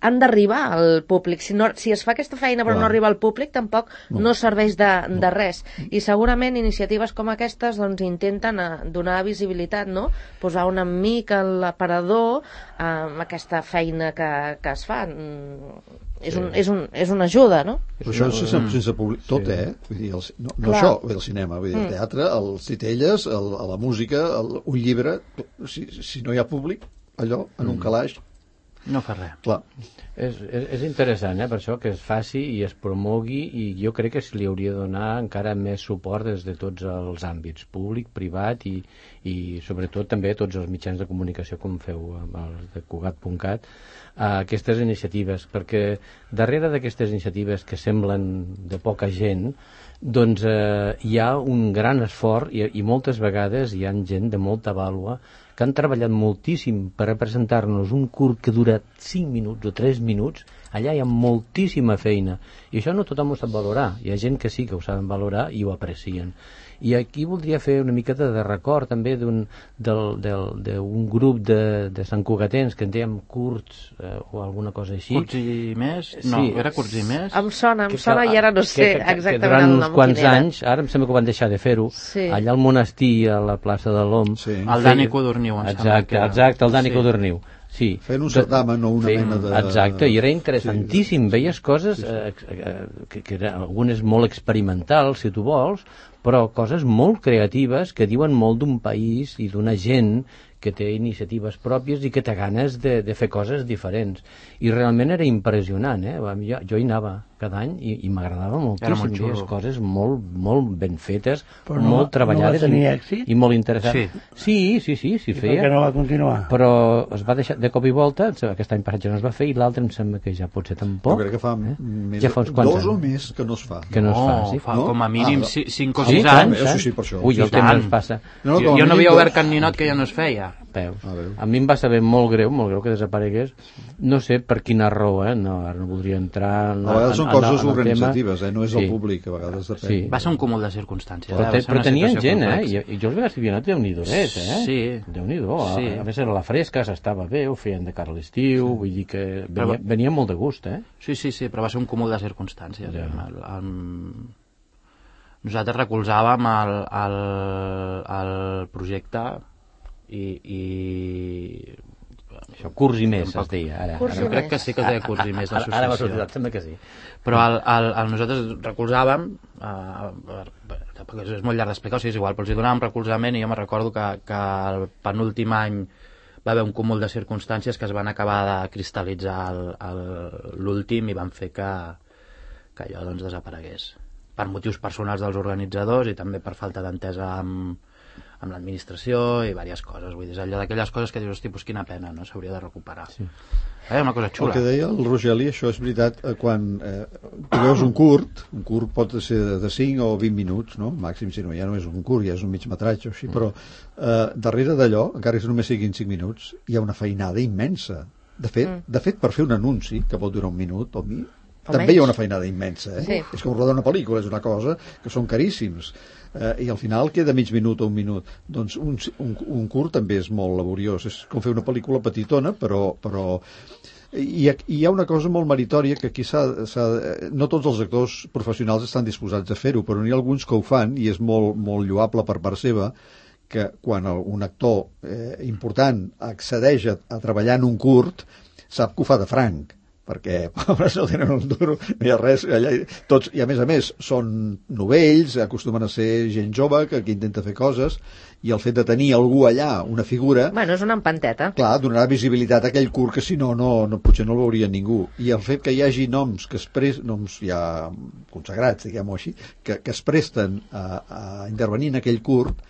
Speaker 2: han d'arribar al públic. Si, no, si es fa aquesta feina però Clar. no arriba al públic, tampoc no, no serveix de, no. de res. I segurament iniciatives com aquestes doncs, intenten a, donar visibilitat, no? Posar una mica l'aparador amb aquesta feina que, que es fa. És, un, és, un, és una ajuda, no?
Speaker 4: Però això és sense, sense públic, tot, eh? Vull dir, el, no, no això, el cinema, vull dir, el teatre, els titelles, el, la música, el, un llibre, si, si no hi ha públic, allò, en un calaix,
Speaker 5: no fa res.
Speaker 4: Clar.
Speaker 1: És, és, és interessant, eh, per això, que es faci i es promogui i jo crec que se li hauria de donar encara més suport des de tots els àmbits, públic, privat i, i sobretot també tots els mitjans de comunicació com feu amb els de Cugat punt cat, a aquestes iniciatives, perquè darrere d'aquestes iniciatives que semblen de poca gent, doncs eh, hi ha un gran esforç i, i moltes vegades hi ha gent de molta vàlua que han treballat moltíssim per a presentar-nos un curt que dura cinc minuts o tres minuts, allà hi ha moltíssima feina i això no tothom ho sap valorar, hi ha gent que sí que ho saben valorar i ho aprecien. I aquí voldria fer una miqueta de record també d'un grup de, de santcugatens que en dèiem curts eh, o alguna cosa així.
Speaker 5: Curts i més? No, sí. Era curts i més?
Speaker 2: Em sona, em que, sona i ara no sé
Speaker 1: que, que,
Speaker 2: exactament
Speaker 1: que durant
Speaker 2: el
Speaker 1: uns
Speaker 2: nom
Speaker 1: quants anys, ara em sembla que van deixar de fer-ho, sí. Allà al monestir, a la plaça de l'Om.
Speaker 4: Sí.
Speaker 5: El Dani Codorniu, em
Speaker 1: exacte,
Speaker 5: sembla que era.
Speaker 1: Exacte, el Dani
Speaker 5: sí.
Speaker 1: Codorniu. Sí.
Speaker 4: Fent un certamen o una
Speaker 1: sí,
Speaker 4: mena de...
Speaker 1: Exacte, i era interessantíssim, sí. Veies coses
Speaker 4: sí, sí.
Speaker 1: Eh, eh, que, que eren algunes molt experimentals, si tu vols, però coses molt creatives que diuen molt d'un país i d'una gent que té iniciatives pròpies i que té ganes de, de fer coses diferents. I realment era impressionant, eh? Jo, jo hi anava cada any i, i m'agradava moltíssim.
Speaker 5: Molt
Speaker 1: veies coses molt, molt ben fetes,
Speaker 3: però
Speaker 1: molt
Speaker 3: no,
Speaker 1: treballades
Speaker 3: no
Speaker 1: i,
Speaker 3: èxit?
Speaker 1: i molt interessants. Sí, sí, sí, sí, sí
Speaker 3: I
Speaker 1: feia.
Speaker 3: per què no va continuar?
Speaker 1: Però es va deixar de cop i volta, aquest any passat ja no es va fer i l'altre em sembla que ja pot ser tampoc.
Speaker 4: Jo crec que fa
Speaker 1: eh?
Speaker 4: més
Speaker 1: ja fa uns quants
Speaker 4: dos
Speaker 1: anys.
Speaker 4: o més que no es fa.
Speaker 1: Que no, no es fa, sí.
Speaker 5: Fa
Speaker 4: no?
Speaker 5: com a mínim
Speaker 4: ah,
Speaker 5: cinc o
Speaker 1: sí,
Speaker 5: sis
Speaker 1: tant,
Speaker 5: anys.
Speaker 4: Sí, sí, per això.
Speaker 1: Ui, el temps ens passa.
Speaker 4: No,
Speaker 5: jo, jo no havia obert cap ninot que ja no es feia.
Speaker 1: Veus.
Speaker 4: Ah,
Speaker 1: a mi em va saber molt greu, molt greu que desaparegués. No sé per quina raó, eh? No, ara no voldria entrar en,
Speaker 4: a vegades són
Speaker 1: en,
Speaker 4: coses
Speaker 1: en
Speaker 4: organitzatives, eh? No és
Speaker 1: sí.
Speaker 4: el públic, a vegades depèn.
Speaker 1: Sí.
Speaker 5: Va ser un cúmul de circumstàncies.
Speaker 1: Però,
Speaker 5: eh?
Speaker 1: te, però tenien gent,
Speaker 5: complexa.
Speaker 1: eh? I, I jo els vaig dir, no, Déu-n'hi-do, eh?
Speaker 5: Sí.
Speaker 1: Déu-n'hi-do.
Speaker 5: Sí.
Speaker 1: A, a més era la fresca, s'estava bé, ho feien de cara a l'estiu, sí. Vull dir que venia, però, venia molt de gust, eh?
Speaker 5: Sí, sí, sí, però va ser un cúmul de circumstàncies.
Speaker 1: Ja.
Speaker 5: El, el, nosaltres recolzàvem el, el, el projecte i... i
Speaker 1: això, curs i més, es deia. Ara,
Speaker 2: curs
Speaker 5: jo crec que sí que es deia curs i més,
Speaker 1: l'associació. Ara m'ha sortit, sembla que sí.
Speaker 5: Però el, el, el nosaltres recolzàvem, eh, perquè és molt llarg d'explicar, o sigui, és igual, però els hi donàvem recolzament i jo me recordo que, que el penúltim any va haver un cúmul de circumstàncies que es van acabar de cristal·litzar l'últim i van fer que, que allò doncs, desaparegués. Per motius personals dels organitzadors i també per falta d'entesa amb, amb l'administració i diverses coses. Vull dir, és allò d'aquelles coses que dius, hosti, pues quina pena, no? S'hauria de recuperar. Sí. Eh, una cosa xula.
Speaker 4: El que deia el Rogeli, això és veritat, quan eh, tu veus un curt, un curt pot ser de cinc o vint minuts, no? Màxim, si no, ja no és un curt, ja és un mig metratge o així, però eh, darrere d'allò, encara que només siguin cinc minuts, hi ha una feinada immensa. De fet, mm. de fet, per fer un anunci, que pot durar un minut o mi, també
Speaker 2: menys.
Speaker 4: hi ha una feinada immensa, eh?
Speaker 2: Sí.
Speaker 4: És com rodar una pel·lícula, és una cosa que són caríssims. Eh, I al final queda mig minut o un minut. Doncs un, un, un curt també és molt laboriós. És com fer una pel·lícula petitona, però... però I, I hi ha una cosa molt meritòria que aquí s'ha, s'ha, no tots els actors professionals estan disposats a fer-ho, però n'hi ha alguns que ho fan i és molt, molt lloable per part seva, que quan un actor eh, important accedeix a, a treballar en un curt sap que ho fa de franc, perquè pobres no tenen un duro, no hi ha res allà, tots, i a més a més són novells, acostumen a ser gent jove que, que intenta fer coses, i el fet de tenir algú allà, una figura,
Speaker 2: Bueno, és una empanteta.
Speaker 4: clar, donarà visibilitat a aquell curt que si no, no, no potser no el veuria ningú. I el fet que hi hagi noms que es pres, noms ja consagrats, diguem-ho així, que, que es presten a, a intervenir en aquell curt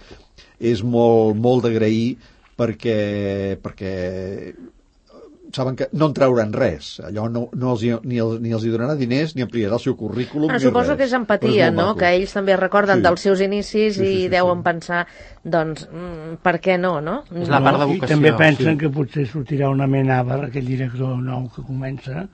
Speaker 4: és molt, molt d'agrair perquè, perquè saben que no en trauran res. Allò no, no els, hi- ni, els, ni els hi donarà diners, ni ampliarà el seu currículum,
Speaker 2: Bueno,
Speaker 4: ni
Speaker 2: suposo
Speaker 4: res.
Speaker 2: que és
Speaker 4: Però
Speaker 2: empatia,
Speaker 4: molt
Speaker 2: no?
Speaker 4: maco.
Speaker 2: Que ells també recorden
Speaker 4: Sí.
Speaker 2: dels seus inicis
Speaker 4: Sí, sí,
Speaker 2: i
Speaker 4: sí,
Speaker 2: deuen
Speaker 4: sí.
Speaker 2: pensar, doncs, mm, per què no, no?
Speaker 5: És la part de
Speaker 3: I
Speaker 5: vocació.
Speaker 3: també pensen
Speaker 4: sí.
Speaker 3: que potser sortirà una Amenábar, aquell director nou que comença,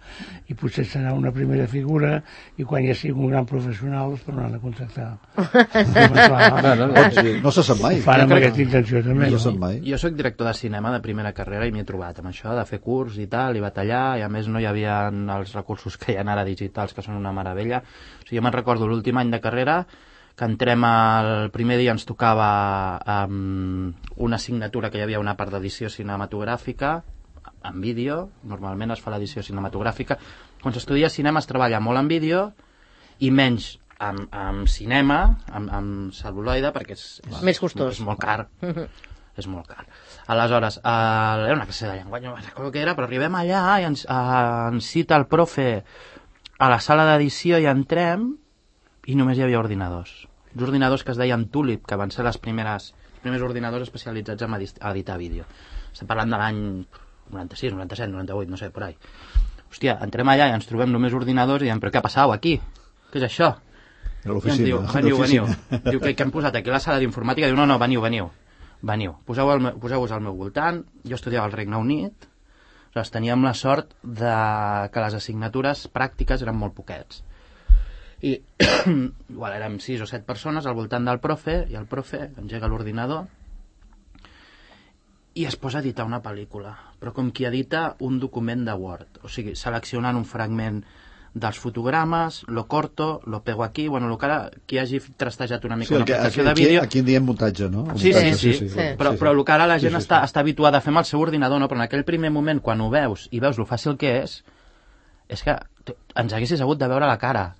Speaker 3: i potser serà una primera figura, i quan ja sigui un gran professional es tornaran a contactar.
Speaker 1: No, no,
Speaker 4: Pot ser, no se sap mai.
Speaker 3: Ho fan amb
Speaker 5: Jo crec-
Speaker 3: aquesta intenció també.
Speaker 4: No
Speaker 3: No?
Speaker 4: se sap mai.
Speaker 5: Jo sóc director de cinema de primera carrera i m'hi he trobat amb això, de fer curs i tal, i batallar, i a més no hi havia els recursos que hi ha ara digitals, que són una meravella. O sigui, jo me'n recordo l'últim any de carrera, que entrem el primer dia ens tocava um, una assignatura que hi havia una part d'edició cinematogràfica, en vídeo, normalment es fa l'edició cinematogràfica. Quan s'estudia cinema es treballa molt en vídeo i menys amb, amb cinema, amb, amb cel·luloide, perquè és, és,
Speaker 2: Més costós.
Speaker 5: és molt car. És molt car. Aleshores, eh, era una classe de llenguatge, no recordo què era, però arribem allà i ens, eh, ens cita el profe a la sala d'edició i entrem i només hi havia ordinadors. Uns ordinadors que es deien Tulip, que van ser les primeres, els primers ordinadors especialitzats en edis- editar vídeo. Estem parlant de l'any noranta-sis, noranta-set, noranta-vuit, no sé, por ahí. Hòstia, entrem allà i ens trobem només ordinadors i diem, però què ha passat aquí? Què és això?
Speaker 4: A
Speaker 5: I ens
Speaker 4: l'oficina.
Speaker 5: diu,
Speaker 4: a
Speaker 5: veniu, veniu.
Speaker 4: l'oficina.
Speaker 5: Diu, què, què hem posat aquí a la sala d'informàtica? Diu, no, no, veniu, veniu. Veniu, poseu-vos al, meu- poseu-vos al meu voltant. Jo estudiava al Regne Unit. Aleshores, teníem la sort de que les assignatures pràctiques eren molt poquets. I igual érem sis o set persones al voltant del profe, i el profe engega l'ordinador i es posa a editar una pel·lícula, però com qui edita un document de Word, o sigui, seleccionant un fragment dels fotogrames, lo corto, lo pego aquí, bueno, lo que ara, qui hagi trastejat una mica
Speaker 4: Sí,
Speaker 5: una
Speaker 4: el que,
Speaker 5: aplicació
Speaker 4: aquí,
Speaker 5: de vídeo...
Speaker 4: aquí en diem muntatge, no? El
Speaker 5: Sí, sí,
Speaker 4: muntatge,
Speaker 5: sí,
Speaker 2: sí.
Speaker 5: Però, però el que ara la gent
Speaker 4: Sí, sí, sí.
Speaker 5: està, està habituada a fer amb el seu ordinador, no? Però en aquell primer moment, quan ho veus i veus lo fàcil que és, és que tu- ens haguessis hagut de veure la cara.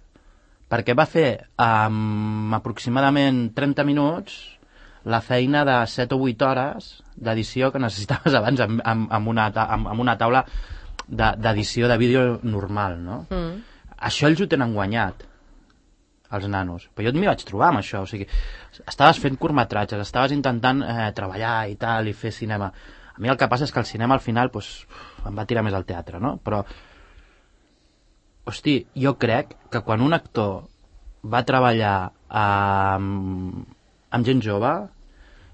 Speaker 5: Perquè va fer amb aproximadament trenta minuts la feina de set o vuit hores d'edició que necessitaves abans amb, amb, amb, una, ta- amb, amb una taula de- d'edició de vídeo normal, no?
Speaker 2: Mm.
Speaker 5: Això ells ho tenen guanyat, els nanos. Però jo m'hi vaig trobar amb això, o sigui, estaves fent curtmetratges, estaves intentant eh, treballar i tal, i fer cinema. A mi el que passa és que el cinema al final pues, em va tirar més al teatre, no? Però, hosti, jo crec que quan un actor va treballar amb, amb gent jove,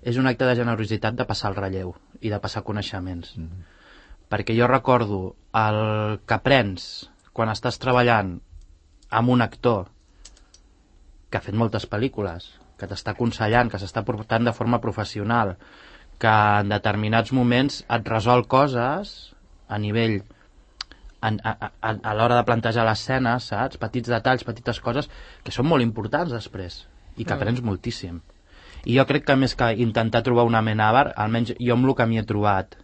Speaker 5: és un acte de generositat de passar el relleu i de passar coneixements. Mm. Perquè jo recordo el que aprens quan estàs treballant amb un actor que ha fet moltes pel·lícules, que t'està aconsellant, que s'està portant de forma professional, que en determinats moments et resol coses a nivell en, a, a, a l'hora de plantejar l'escena, saps? Petits detalls, petites coses que són molt importants després i que aprens mm. moltíssim. I jo crec que més que intentar trobar una Amenábar, almenys jo amb el que m'hi he trobat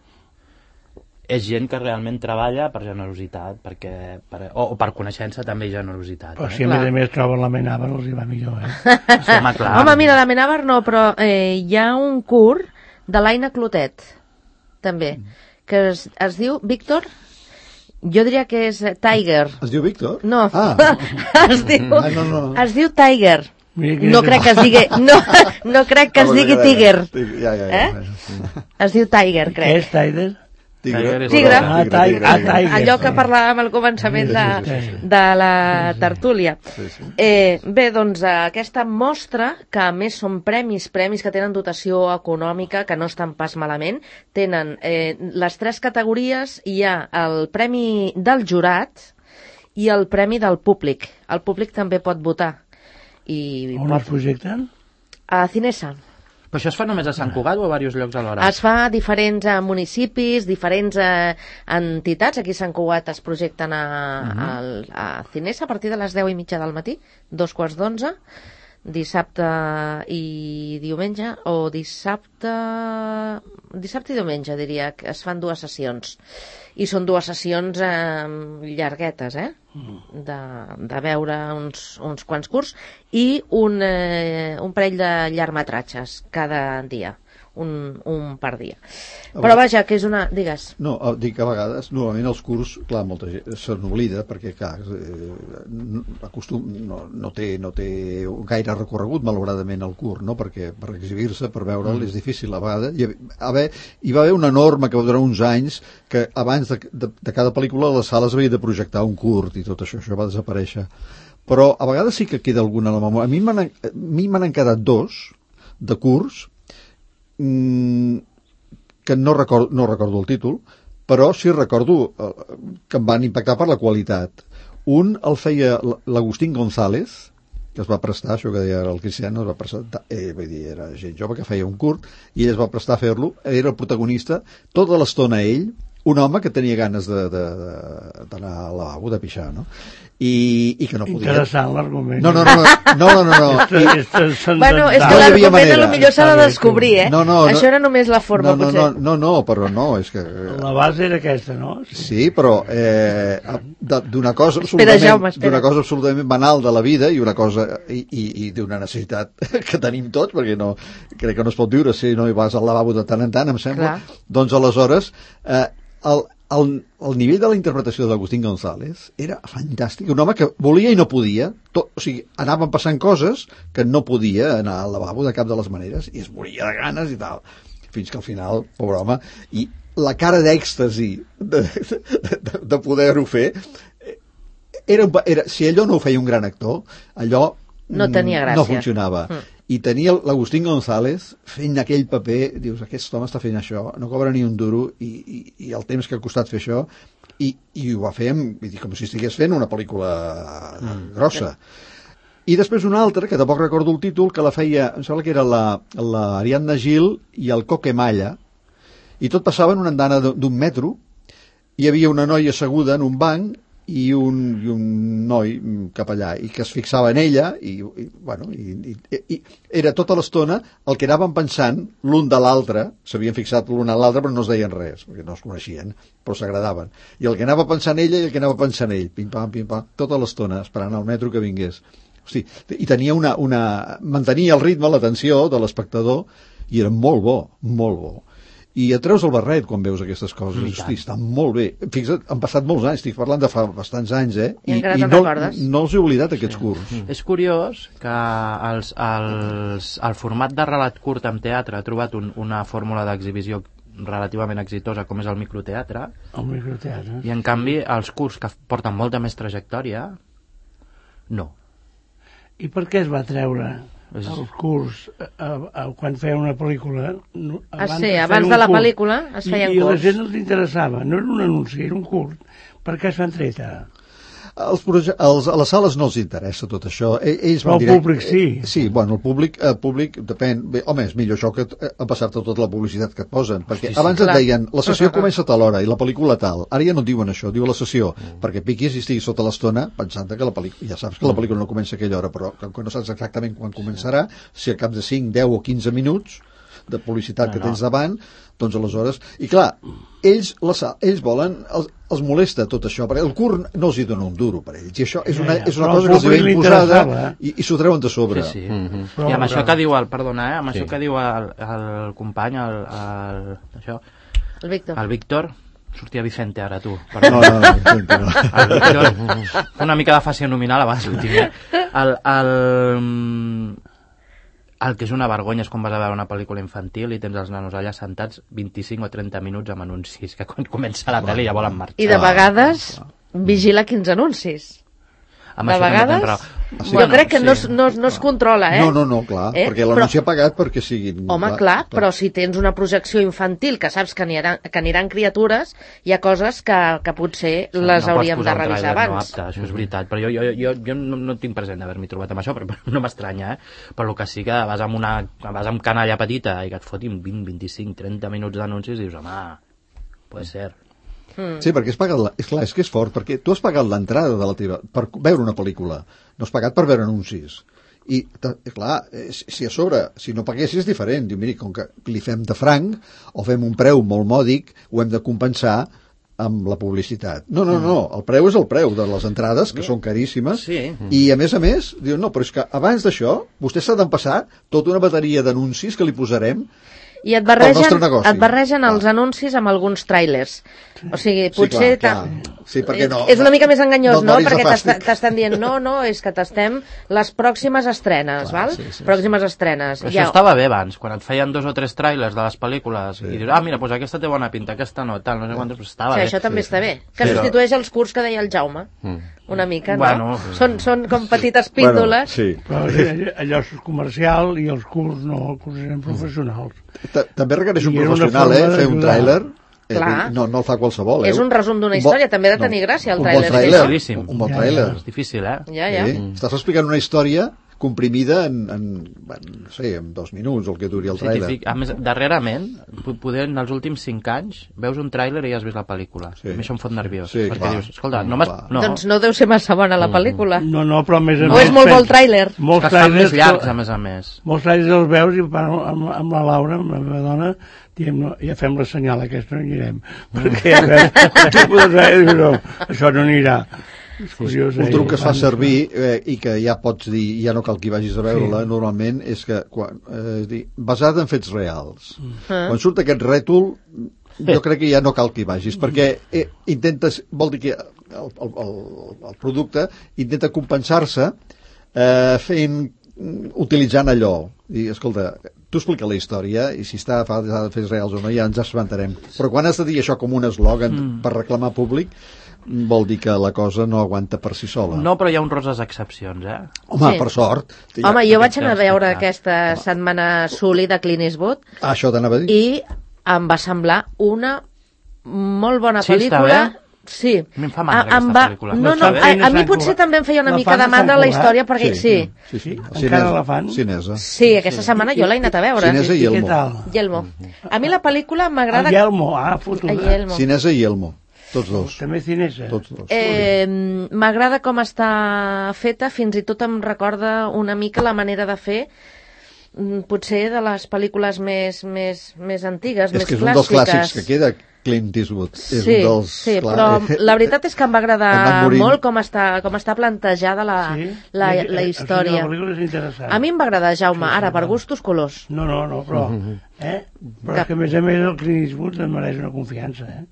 Speaker 5: és gent que realment treballa per generositat, perquè, per, o, o per coneixença també i generositat.
Speaker 3: Però
Speaker 5: Eh?
Speaker 3: si a
Speaker 2: Clar.
Speaker 3: més a més troben l'Amenábar els hi va millor, eh?
Speaker 5: Sí, home, clar.
Speaker 2: Home, mira, l'Amenábar no, però eh, hi ha un curt de l'Aina Clotet, també, que es, es diu, Víctor, jo diria que és eh, Tiger.
Speaker 4: Es diu Víctor?
Speaker 2: No,
Speaker 4: Ah,
Speaker 2: es, diu,
Speaker 4: ah no, no.
Speaker 2: es diu Tiger.
Speaker 3: Mira que
Speaker 2: No
Speaker 3: és-
Speaker 2: crec que es digui, no, no crec que es digui Tiger.
Speaker 4: Ja, ja, ja.
Speaker 2: Eh? Es diu Tiger,
Speaker 3: Què
Speaker 2: crec.
Speaker 3: és Tiger?
Speaker 4: Tigre.
Speaker 2: Tigre.
Speaker 3: Ah, Tiger. Ah, Tiger.
Speaker 2: Allò que parlàvem al començament de,
Speaker 3: Sí, sí, sí.
Speaker 2: de la tertúlia.
Speaker 4: Sí, sí.
Speaker 2: Eh, bé, doncs eh, aquesta mostra, que a més són premis, premis que tenen dotació econòmica, que no estan pas malament, tenen eh, les tres categories, hi ha el premi del jurat, i el premi del públic. El públic també pot votar. I
Speaker 3: On
Speaker 2: pot...
Speaker 3: es projecten?
Speaker 2: A Cinesa.
Speaker 5: Però això es fa només a Sant Cugat o a diversos llocs alhora?
Speaker 2: Es fa a diferents eh, municipis, diferents eh, entitats. Aquí a Sant Cugat es projecten a, uh-huh. a, a Cinesa a partir de les deu i mitja del matí, dos quarts d'onze, dissabte i diumenge, o dissabte... Dissabte i diumenge, diria, que es fan dues sessions. I són dues sessions eh, llarguetes, eh? De, de veure uns, uns quants curts i un, eh, un parell de llargmetratges cada dia. Un, un per dia. Però vaja, que és una... Digues.
Speaker 4: No, dic que a vegades, normalment els curs, clar, molta gent se n'oblida, perquè, clar, eh, acostum, no, no, té, no té gaire recorregut, malauradament, el curs, no? Perquè per exhibir-se, per veure'l, mm. és difícil. A vegades hi, haver, hi va haver una norma que va durar uns anys que abans de, de, de cada pel·lícula a les sales havia de projectar un curt i tot això, això va desaparèixer. Però a vegades sí que queda alguna a la memòria. A mi m'han, a mi m'han quedat dos de curts que no recordo, no recordo el títol, però sí recordo que em van impactar per la qualitat. Un el feia l'Agustín González, que es va prestar, això que deia el Cristiano, es va prestar, eh, vull dir, era gent jove que feia un curt, i ell es va prestar a fer-lo, era el protagonista, tota l'estona ell, un home que tenia ganes de, de, de, d'anar al lavabo, de pixar, no? I, i que no podia...
Speaker 3: Interessant l'argument.
Speaker 4: No, no, no, no, no, no, no.
Speaker 3: I... és, és
Speaker 2: bueno, és que
Speaker 4: no
Speaker 2: l'argument potser s'ha de descobrir, eh?
Speaker 4: No, no,
Speaker 2: això
Speaker 4: no,
Speaker 2: era només la forma,
Speaker 4: no, no,
Speaker 2: potser.
Speaker 4: No, no, no, però no, és que...
Speaker 3: La base era aquesta, no?
Speaker 4: Sí, però eh, d'una cosa
Speaker 2: espera,
Speaker 4: absolutament,
Speaker 2: Jaume, espera.
Speaker 4: d'una cosa absolutament banal de la vida i una cosa i, i, i d'una necessitat que tenim tots, perquè no, crec que no es pot viure si no hi vas al lavabo de tant en tant, em sembla. Clar. Doncs aleshores eh, el, el, el nivell de la interpretació d'Agustín González era fantàstic, un home que volia i no podia, tot, o sigui, anaven passant coses que no podia anar al lavabo de cap de les maneres i es moria de ganes i tal, fins que al final, pobre home, i la cara d'èxtasi de, de, de, de poder-ho fer era, era, si allò no ho feia un gran actor, allò
Speaker 2: no tenia gràcia,
Speaker 4: no funcionava. Mm. I tenia l'Agustín González fent aquell paper, dius, aquest home està fent això, no cobra ni un duro i, i, i el temps que ha costat fer això i, i ho va fer amb, vull dir, com si estigués fent una pel·lícula mm. grossa. I després una altra, que tampoc recordo el títol, que la feia, em sembla que era la, la Ariadna Gil i el Coque Malla, i tot passava en una andana d'un metro, hi havia una noia asseguda en un banc i un, i un noi cap allà, i que es fixava en ella i, i bueno, i, i, i era tota l'estona el que anaven pensant l'un de l'altre, s'havien fixat l'un a l'altre però no es deien res, perquè no es coneixien però s'agradaven, i el que anava pensant ella i el que anava pensant ell, pim-pam, pim-pam tota l'estona, esperant al metro que vingués. Hosti, i tenia una, una mantenia el ritme, l'atenció de l'espectador i era molt bo, molt bo. I et treus el barret quan veus aquestes coses. Hosti, està molt bé. Fixa't, han passat molts anys, estic parlant de fa bastants anys, eh?
Speaker 2: I, I, i
Speaker 4: no, no els he oblidat, aquests sí. curts.
Speaker 5: Mm. És curiós que els, els, el format de relat curt en teatre ha trobat un, una fórmula d'exhibició relativament exitosa com és el microteatre.
Speaker 3: El microteatre.
Speaker 5: I en canvi els curts que porten molta més trajectòria, no.
Speaker 3: I per què es va treure els curts a, a, a, quan feia una pel·lícula no,
Speaker 2: abans, ah, sí, abans de la curt. Pel·lícula es feien
Speaker 3: I,
Speaker 2: curts
Speaker 3: i la gent els interessava, no era un anunci, era un curt. Per què s'han tret ara?
Speaker 4: Els, els, a les sales no els interessa tot això. Ells
Speaker 3: Però el direct, públic sí.
Speaker 4: Eh, sí, bueno, el públic, el públic depèn. Bé, home, és millor això que a passar-te tota la publicitat que et posen. Perquè sí, sí, abans clar. Et deien, la sessió comença a tal hora i la pel·lícula tal. Ara ja no et diuen això, diu la sessió. Mm. Perquè piquis i estiguis sota l'estona pensant que la pel·lícula... Ja saps que la pel·lícula no comença a aquella hora, però que no saps exactament quan començarà, si al cap de cinc, deu o quinze minuts de publicitat no, que tens no. davant, doncs aleshores... I clar, ells, la, ells volen, els, els molesta tot això, perquè el curt no els hi dona un duro per ells, i això és una, és una cosa que els ve imposada eh? i, i s'ho treuen de sobre.
Speaker 5: Sí, sí. Mm-hmm. Però, I amb això que diu el, perdona, eh, amb sí. això que diu el, el company, el, el, això,
Speaker 2: el Víctor.
Speaker 5: El Víctor, sortia Vicente ara, tu.
Speaker 4: No, no, no, Vicente no.
Speaker 5: El Víctor, una mica de fàcia nominal abans, el, el, el que és una vergonya és quan vas a veure una pel·lícula infantil i tens els nanos allà sentats vint-i-cinc o trenta minuts amb anuncis, que quan comença la pel·li ja volen marxar.
Speaker 2: I de vegades vigila quins anuncis.
Speaker 5: Amb
Speaker 2: de
Speaker 5: això també
Speaker 2: vegades,
Speaker 5: tens raó.
Speaker 2: jo
Speaker 5: Bueno,
Speaker 2: crec que
Speaker 5: sí.
Speaker 2: no, es- no, es- no es controla, eh?
Speaker 4: No, no, no, clar,
Speaker 2: Eh?
Speaker 4: perquè l'anunci ha pagat perquè siguin...
Speaker 2: Home, clar, però si tens una projecció infantil que saps que aniran, que aniran criatures, hi ha coses que, que potser
Speaker 5: Sí,
Speaker 2: les
Speaker 5: no
Speaker 2: hauríem
Speaker 5: pots
Speaker 2: de
Speaker 5: posar un
Speaker 2: revisar
Speaker 5: tràiler no
Speaker 2: abans.
Speaker 5: apte, això és veritat, però jo, jo, jo, jo no, no tinc present d'haver-m'hi trobat amb això, però no m'estranya, eh? Però el que sí que vas amb una vas amb canalla petita i que et fotin vint, vint-i-cinc, trenta minuts d'anuncis i dius, home, pot ser.
Speaker 2: Mm.
Speaker 4: Sí, perquè has pagat... La... És clar, és que és fort, perquè tu has pagat l'entrada de la teva... per veure una pel·lícula, no has pagat per veure anuncis. I, ta- clar, eh, si si a sobre, si no paguessis és diferent. Diu, miri, com que li fem de franc o fem un preu molt mòdic, ho hem de compensar amb la publicitat. No, no, no, el preu és el preu de les entrades, que són caríssimes,
Speaker 5: Sí.
Speaker 4: i a més a més, diu, no, però és que abans d'això, vostè s'ha d'empassar tota una bateria d'anuncis que li posarem.
Speaker 2: I et
Speaker 4: Pel
Speaker 2: barregen,
Speaker 4: nostre negoci.
Speaker 2: et barregen
Speaker 4: Clar.
Speaker 2: els anuncis amb alguns tràilers. O sigui,
Speaker 4: Sí,
Speaker 2: potser...
Speaker 4: clar,
Speaker 2: ta-
Speaker 4: clar. Sí, perquè no-
Speaker 2: és una mica més enganyós,
Speaker 4: no
Speaker 2: no?
Speaker 4: et moris de
Speaker 2: Perquè t'est-
Speaker 4: fàstic.
Speaker 2: t'estan dient, no, no, és que t'estem les pròximes estrenes,
Speaker 4: Clar,
Speaker 2: val?
Speaker 4: sí, sí,
Speaker 2: pròximes estrenes.
Speaker 5: Però
Speaker 2: Ja-
Speaker 5: això estava bé abans, quan et feien dos o tres trailers de les pel·lícules sí. i dius, ah, mira, doncs aquesta té bona pinta, aquesta no, tal, no sé quantes, però estava
Speaker 2: Sí,
Speaker 5: bé.
Speaker 2: això també està bé. Que
Speaker 5: Sí.
Speaker 2: substitueix els curs que deia el Jaume.
Speaker 1: Mm.
Speaker 2: Una mica, no?
Speaker 5: Bueno.
Speaker 2: Són, són com petites
Speaker 4: Bueno,
Speaker 2: píndoles.
Speaker 4: sí.
Speaker 3: Però allò, allò és comercial i els curs no, els curs eren professionals.
Speaker 4: Ta- També requereix un
Speaker 3: I era una
Speaker 4: professional,
Speaker 3: forma
Speaker 4: eh? Fer un
Speaker 3: d'ajudar.
Speaker 4: tràiler. Eh,
Speaker 2: Clar.
Speaker 4: no, no el fa qualsevol, eh?
Speaker 2: És un resum d'una
Speaker 4: Un bo-
Speaker 2: història, també ha de tenir gràcia, el
Speaker 4: un
Speaker 2: tràiler,
Speaker 4: bon
Speaker 2: sí,
Speaker 4: tràiler,
Speaker 5: Facilíssim.
Speaker 4: un, un bon
Speaker 3: Ja,
Speaker 4: tràiler.
Speaker 5: És difícil, eh?
Speaker 2: Ja, ja.
Speaker 4: Sí? Estàs explicant una història comprimida en, en, en, no sé, en dos minuts, el que duri el
Speaker 5: Sí,
Speaker 4: tràiler.
Speaker 5: típic. A més, darrerament, po- poder en els últims cinc anys, veus un tràiler i ja has vist la pel·lícula.
Speaker 4: Sí.
Speaker 5: A mi això em fot nerviós.
Speaker 4: Sí,
Speaker 5: perquè
Speaker 4: clar.
Speaker 5: dius, escolta, no m'has...
Speaker 4: Clar.
Speaker 5: No.
Speaker 2: Doncs no deu ser massa bona la pel·lícula.
Speaker 3: No, no, però a més a
Speaker 2: O
Speaker 3: més...
Speaker 2: és molt bo el
Speaker 3: pensa-
Speaker 2: tràiler.
Speaker 3: Molts
Speaker 5: que estan més
Speaker 3: tràilers
Speaker 5: llargs,
Speaker 3: que-
Speaker 5: a més a més.
Speaker 3: Molts tràilers els veus i parlo amb, amb la Laura, amb la meva dona, diem, no, ja fem la senyal aquesta, no anirem. Perquè a veure, tu pots dir, no, això no anirà. És curiós,
Speaker 4: Un
Speaker 3: eh?
Speaker 4: truc que es fa servir eh, i que ja pots dir, ja no cal que hi vagis a veure-la, sí. normalment, és que, quan, eh, és dir, basada en fets reals.
Speaker 2: Ah.
Speaker 4: Quan surt aquest rètol, jo crec que ja no cal que hi vagis, perquè eh, intentes, vol dir que el, el, el, el producte intenta compensar-se eh, fent, utilitzant allò. I, escolta, tu explica la història i si està basada en fets reals o no, ja ens assabentarem. Però quan has de dir això com un eslògan mm. per reclamar públic, vol dir que la cosa no aguanta per si sola.
Speaker 5: No, però hi ha honroses excepcions, eh?
Speaker 4: Home,
Speaker 2: Sí.
Speaker 4: per sort.
Speaker 2: Home, jo vaig anar a
Speaker 5: Aquest
Speaker 2: veure
Speaker 5: cas,
Speaker 2: aquesta setmana Sully de Clint Eastwood
Speaker 4: Ah, això t'anava a dir?
Speaker 2: i em va semblar una molt bona
Speaker 5: Sí, està
Speaker 2: pel·lícula.
Speaker 5: bé?
Speaker 2: Sí.
Speaker 5: A mi em fa mandra
Speaker 2: A- em
Speaker 5: aquesta
Speaker 2: va-
Speaker 5: pel·lícula.
Speaker 2: No,
Speaker 3: No
Speaker 2: no,
Speaker 3: està bé.
Speaker 2: a, a mi
Speaker 3: Sant
Speaker 2: potser
Speaker 3: Cugat.
Speaker 2: també em feia una
Speaker 3: La
Speaker 2: mica
Speaker 3: fan
Speaker 2: de
Speaker 3: a Sant
Speaker 2: mandra la
Speaker 3: Cugat?
Speaker 2: història, perquè sí.
Speaker 4: Sí, sí.
Speaker 3: Encara la fan?
Speaker 4: Cinesa.
Speaker 2: Sí, aquesta setmana jo l'he anat a veure.
Speaker 4: Cinesa i
Speaker 3: I què
Speaker 4: Elmo.
Speaker 3: tal?
Speaker 2: Yelmo. A mi la pel·lícula m'agrada...
Speaker 3: El Yelmo, ah,
Speaker 2: A
Speaker 3: fotuda.
Speaker 2: Yelmo.
Speaker 4: Cinesa i Elmo. Tots dos.
Speaker 3: També cinesa.
Speaker 4: Tots dos.
Speaker 2: Eh, M'agrada com està feta, fins i tot em recorda una mica la manera de fer mm, potser de les pel·lícules més, més, més antigues,
Speaker 4: És
Speaker 2: més
Speaker 4: que és un dels
Speaker 2: clàssiques.
Speaker 4: clàssics que queda Clint Eastwood. És
Speaker 2: Sí,
Speaker 4: un dels,
Speaker 2: sí,
Speaker 4: clar,
Speaker 2: però
Speaker 4: eh,
Speaker 2: la veritat és que em va
Speaker 4: ha
Speaker 2: agradar
Speaker 4: anat morint.
Speaker 2: molt com està, com està plantejada la,
Speaker 3: Sí?
Speaker 2: la,
Speaker 3: Eh,
Speaker 2: la
Speaker 3: eh,
Speaker 2: història.
Speaker 3: O sigui, la pel·lícula és interessant.
Speaker 2: A mi em va agradar, Jaume,
Speaker 3: Sí,
Speaker 2: ara,
Speaker 3: sí,
Speaker 2: per
Speaker 3: no.
Speaker 2: gustos colors.
Speaker 3: No, no, no, però... Eh? Però és que, a més a més, el Clint Eastwood em mereix una confiança, eh?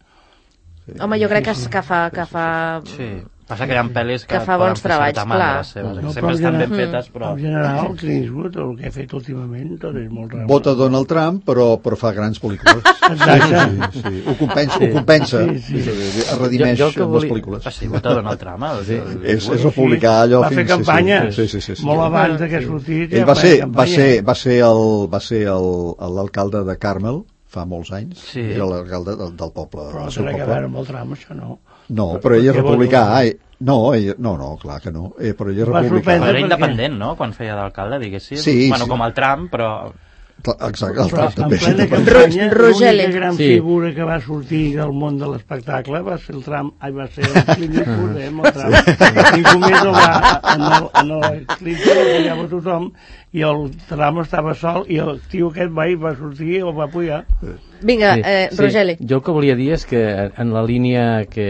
Speaker 2: Home, jo crec que, que fa... Que fa...
Speaker 5: Sí. Passa que hi ha pel·lis que,
Speaker 2: Que fa
Speaker 5: poden
Speaker 2: bons
Speaker 5: fer
Speaker 2: treballs,
Speaker 5: certa mandra
Speaker 2: clar.
Speaker 5: les seves, que
Speaker 3: No,
Speaker 5: sempre
Speaker 3: però
Speaker 5: estan ben
Speaker 3: en-
Speaker 5: fetes, però...
Speaker 3: En general, el Clint Eastwood, el que ha fet últimament, tot és molt real.
Speaker 4: Vota Donald Trump, però, però fa grans pel·lícules.
Speaker 3: Exacte.
Speaker 4: Sí, sí. Ho compensa. Ho compensa.
Speaker 3: Sí, sí.
Speaker 4: Es redimeix
Speaker 1: Jo- jo el que
Speaker 4: amb les
Speaker 1: volia-
Speaker 4: pel·lícules.
Speaker 5: Ah, sí, vota Donald Trump. El, sí.
Speaker 4: És, és republicà allò
Speaker 3: Va fer
Speaker 4: fins...
Speaker 3: campanya
Speaker 4: Sí, sí, sí, sí, sí.
Speaker 3: molt abans de que sortís.
Speaker 4: Ell
Speaker 3: ja
Speaker 4: va
Speaker 3: feia
Speaker 4: ser, va
Speaker 3: campanya.
Speaker 4: ser, va ser el, va ser el, l'alcalde de Carmel fa molts anys.
Speaker 5: Sí.
Speaker 4: Era l'alcalde del, del poble.
Speaker 3: Però
Speaker 4: del
Speaker 3: no
Speaker 4: seu
Speaker 3: té res a
Speaker 4: poble.
Speaker 3: veure amb el tram, això no.
Speaker 4: No, però ell és
Speaker 3: Què vol
Speaker 4: republicà.
Speaker 3: dir?
Speaker 4: Ai, no, ell, no, no, clar que no. Eh, però ell és
Speaker 3: Va
Speaker 4: republicà.
Speaker 3: sorprendre.
Speaker 5: Però era
Speaker 3: perquè-
Speaker 5: independent, no?, quan feia d'alcalde, diguéssim.
Speaker 4: Sí,
Speaker 5: bueno,
Speaker 4: sí.
Speaker 5: com el Trump, però...
Speaker 4: Exacte, el
Speaker 3: Però
Speaker 4: Trump
Speaker 3: en
Speaker 4: també. és
Speaker 3: plena
Speaker 4: independent.
Speaker 3: campanya,
Speaker 2: Ro- Rogele.
Speaker 3: l'única gran
Speaker 1: Sí.
Speaker 3: figura que va sortir del món de l'espectacle va ser el Trump, ai, va ser el Clint Eastwood, eh, amb el Trump. Ningú més el va, en el, en el Clinton el apoyava tothom, i el Trump estava sol, i el tio aquest va, i va sortir i el va apoyar.
Speaker 2: Vinga, eh, Rogeli.
Speaker 1: Jo el que volia dir és que en la línia que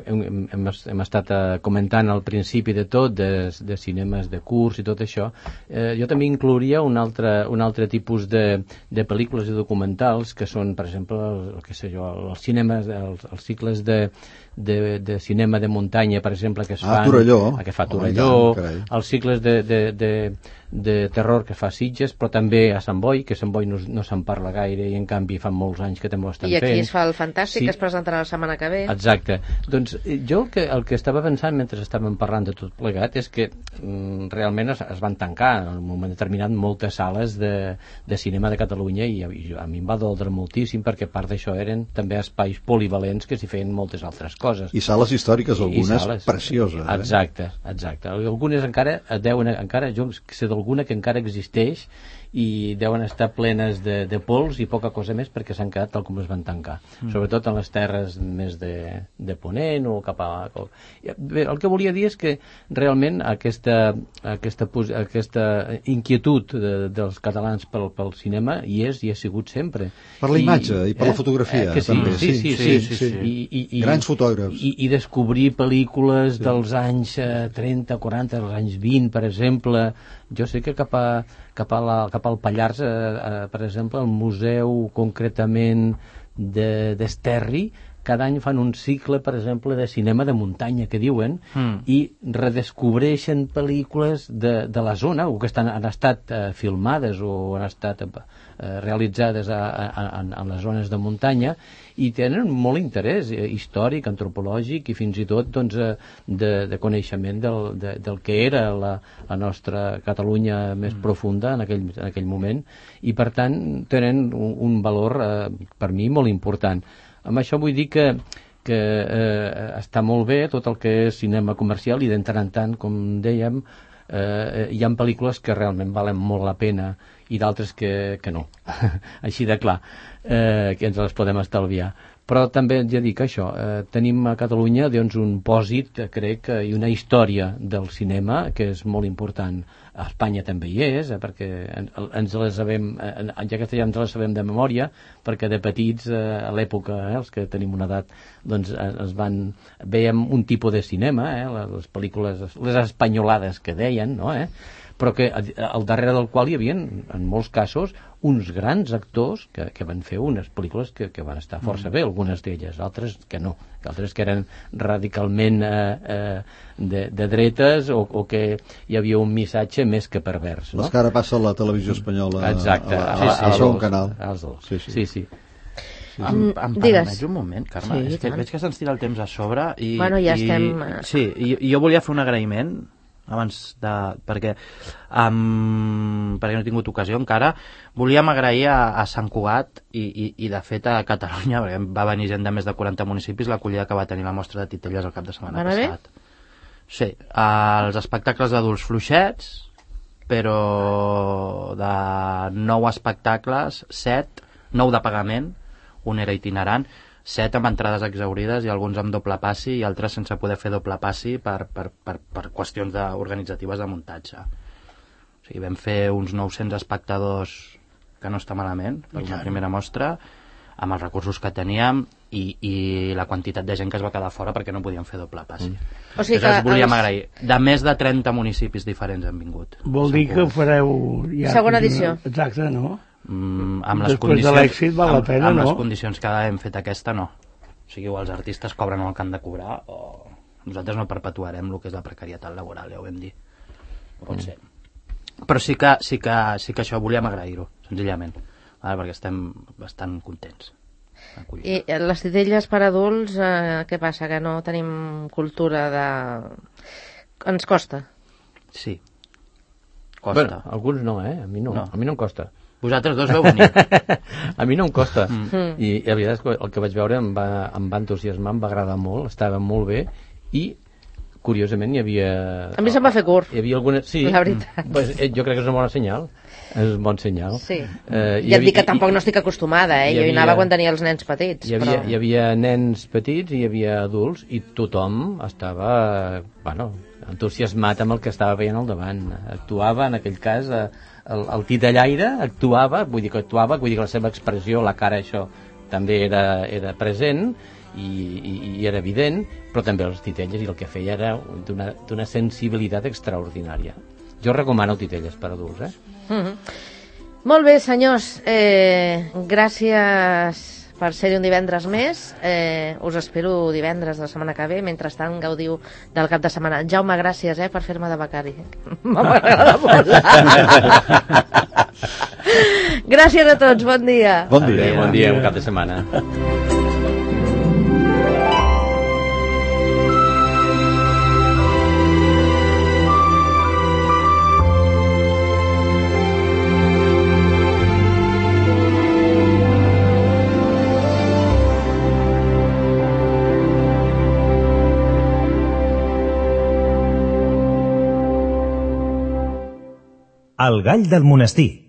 Speaker 1: hem, hem, hem estat eh, comentant al principi de tot, de, de cinemes de curs i tot això, eh, jo també inclouria un altre, un altre tipus de, de pel·lícules i documentals que són, per exemple, el, el, que sé jo, els cinemes, els, els cicles de, de, de cinema de muntanya, per exemple, que es
Speaker 4: Ah,
Speaker 1: fan...
Speaker 4: Torelló.
Speaker 1: Que fa
Speaker 4: Home,
Speaker 1: Torelló,
Speaker 4: i tant, carai.
Speaker 1: els cicles de, de, de, de terror que fa Sitges, però també a Sant Boi, que a Sant Boi no, no se'n parla gaire i en canvi fa molts anys que també ho estan
Speaker 2: fent. I aquí
Speaker 1: fent.
Speaker 2: es fa el Fantàstic,
Speaker 1: sí.
Speaker 2: que es presentarà la setmana que ve.
Speaker 1: Exacte. Doncs jo el que, el que estava pensant mentre estàvem parlant de tot plegat és que mm, realment es, es van tancar en un moment determinat moltes sales de, de cinema de Catalunya i, i a mi em va doldre moltíssim perquè part d'això eren també espais polivalents que s'hi feien moltes altres coses.
Speaker 4: I sales històriques, algunes
Speaker 1: sales,
Speaker 4: precioses. Eh?
Speaker 1: Exacte, exacte. Algunes encara deuen, encara jo sé d'alguna que encara existeix i deuen estar plenes de, de pols i poca cosa més perquè s'han quedat tal com es van tancar, mm. sobretot en les terres més de, de Ponent o cap a... Bé, el que volia dir és que realment aquesta, aquesta, aquesta inquietud de, dels catalans pel, pel cinema hi és i ha sigut sempre.
Speaker 4: Per la imatge i, i per eh? la fotografia,
Speaker 1: eh, sí,
Speaker 4: també.
Speaker 1: Sí, sí, sí. sí, sí, sí, sí. I, i, i,
Speaker 4: Grans fotògrafs.
Speaker 1: I, i descobrir pel·lícules sí. dels anys eh, trenta, quaranta, dels anys vint, per exemple. Jo sé que cap, a, cap, a la, cap al Pallars, eh, eh, per exemple, el museu concretament d'Esterri, de, cada any fan un cicle, per exemple, de cinema de muntanya, que diuen, mm. i redescobreixen pel·lícules de, de la zona, o que estan, han estat eh, filmades o han estat eh, realitzades a, a, a, a les zones de muntanya, i tenen molt interès eh, històric, antropològic i fins i tot doncs, eh, de, de coneixement del, de, del que era la, la nostra Catalunya més mm. profunda en aquell, en aquell moment, i per tant tenen un, un valor eh, per mi molt important. Amb això vull dir que, que eh, està molt bé tot el que és cinema comercial i de tant en tant, com dèiem, eh, hi ha pel·lícules que realment valen molt la pena i d'altres que, que no. Així de clar, eh, que ens les podem estalviar. Però també ja dic això, eh, tenim a Catalunya doncs, un pòsit, crec, i una història del cinema que és molt important. A Espanya també hi és, eh, perquè ens les sabem, eh, ja que ja ens les sabem de memòria, perquè de petits, eh, a l'època, eh, els que tenim una edat, doncs es van, veiem un tipus de cinema, eh, les pel·lícules, les espanyolades que deien, no, eh? Però que al darrere del qual hi havia, en molts casos, uns grans actors que, que van fer unes pel·lícules que, que van estar força bé, algunes d'elles, altres que no, altres que eren radicalment eh, eh, de, de dretes o, o que hi havia un missatge més que pervers. No?
Speaker 4: Les que ara passa a la televisió espanyola.
Speaker 1: Exacte,
Speaker 4: a, a, a, a, a segon canal.
Speaker 1: Als dos, sí, sí. sí, sí.
Speaker 5: Sí. Em, em permets un moment, Carme? Sí, és que tant. Veig que se'ns tira el temps a sobre i,
Speaker 2: bueno, ja
Speaker 5: i,
Speaker 2: estem...
Speaker 5: Sí, i, i jo volia fer un agraïment abans de... perquè um, perquè no he tingut ocasió encara. Volíem agrair a, a Sant Cugat i, i, i de fet a Catalunya, perquè va venir gent de més de quaranta municipis, l'acollida que va tenir la mostra de Titelles el cap de setmana
Speaker 2: Van
Speaker 5: passat. Sí, els espectacles d'adults fluixets, però de nou espectacles, set, nou de pagament, un era itinerant, set amb entrades exaurides i alguns amb doble passi i altres sense poder fer doble passi per, per, per, per qüestions de, organitzatives de muntatge. O sigui, vam fer uns nou-cents espectadors, que no està malament, per una primera mostra, amb els recursos que teníem i, i la quantitat de gent que es va quedar fora perquè no podíem fer doble passi. Mm.
Speaker 2: O sigui
Speaker 5: que volíem
Speaker 2: els...
Speaker 5: agrair. De més de trenta municipis diferents han vingut.
Speaker 3: Vol dir que fareu... Ja
Speaker 2: segona edició.
Speaker 3: Exacte, no?
Speaker 5: Mm, amb les
Speaker 3: Després
Speaker 5: condicions,
Speaker 3: de l'èxit val la pena,
Speaker 5: amb, amb
Speaker 3: no?
Speaker 5: les condicions que hem fet aquesta, no. O sigui, o els artistes cobren el que han de cobrar o nosaltres no perpetuarem el que és la precarietat laboral, ja ho vam dir. Pot mm. ser. Però sí que, sí que, sí que això volíem agrair-ho, senzillament, vale? Perquè estem bastant contents.
Speaker 2: I les titelles per adults, eh, què passa? Que no tenim cultura de... Ens costa?
Speaker 5: Sí. Costa.
Speaker 1: Bueno, alguns no, eh? A mi no, no. A mi no em costa.
Speaker 5: Vosaltres dos veu venir.
Speaker 1: A mi no em costa.
Speaker 2: Mm.
Speaker 1: I la veritat és que el que vaig veure em va, em va entusiasmar, em va agradar molt, estava molt bé i curiosament hi havia...
Speaker 2: A mi se'm va fer curt.
Speaker 1: Hi havia alguna... Sí,
Speaker 2: la veritat.
Speaker 1: Pues, eh, jo crec que és una bona senyal. És un bon senyal.
Speaker 2: Sí.
Speaker 1: Eh,
Speaker 2: ja et dic que tampoc no estic acostumada, eh?
Speaker 1: Hi
Speaker 2: Jo
Speaker 1: havia,
Speaker 2: hi anava quan tenia els nens petits.
Speaker 1: Hi havia,
Speaker 2: però...
Speaker 1: hi havia nens petits i hi havia adults i tothom estava, bueno, entusiasmat amb el que estava veient al davant. Actuava, en aquell cas, el, el titellaire actuava, vull dir que actuava, vull dir que la seva expressió, la cara, això, també era, era present i, i, i era evident, però també els titelles i el que feia era d'una sensibilitat extraordinària. Jo recomano titelles per adults, eh?
Speaker 2: Mm-hmm. Molt bé, senyors, eh, gràcies per ser-hi un divendres més. Eh, us espero divendres de la setmana que ve. Mentrestant, gaudiu del cap de setmana. Jaume, gràcies eh, per fer-me de becari. M'agrada molt. Gràcies a tots, bon dia.
Speaker 4: Bon dia.
Speaker 1: Bon dia, un cap de setmana.
Speaker 6: El gall del monestir.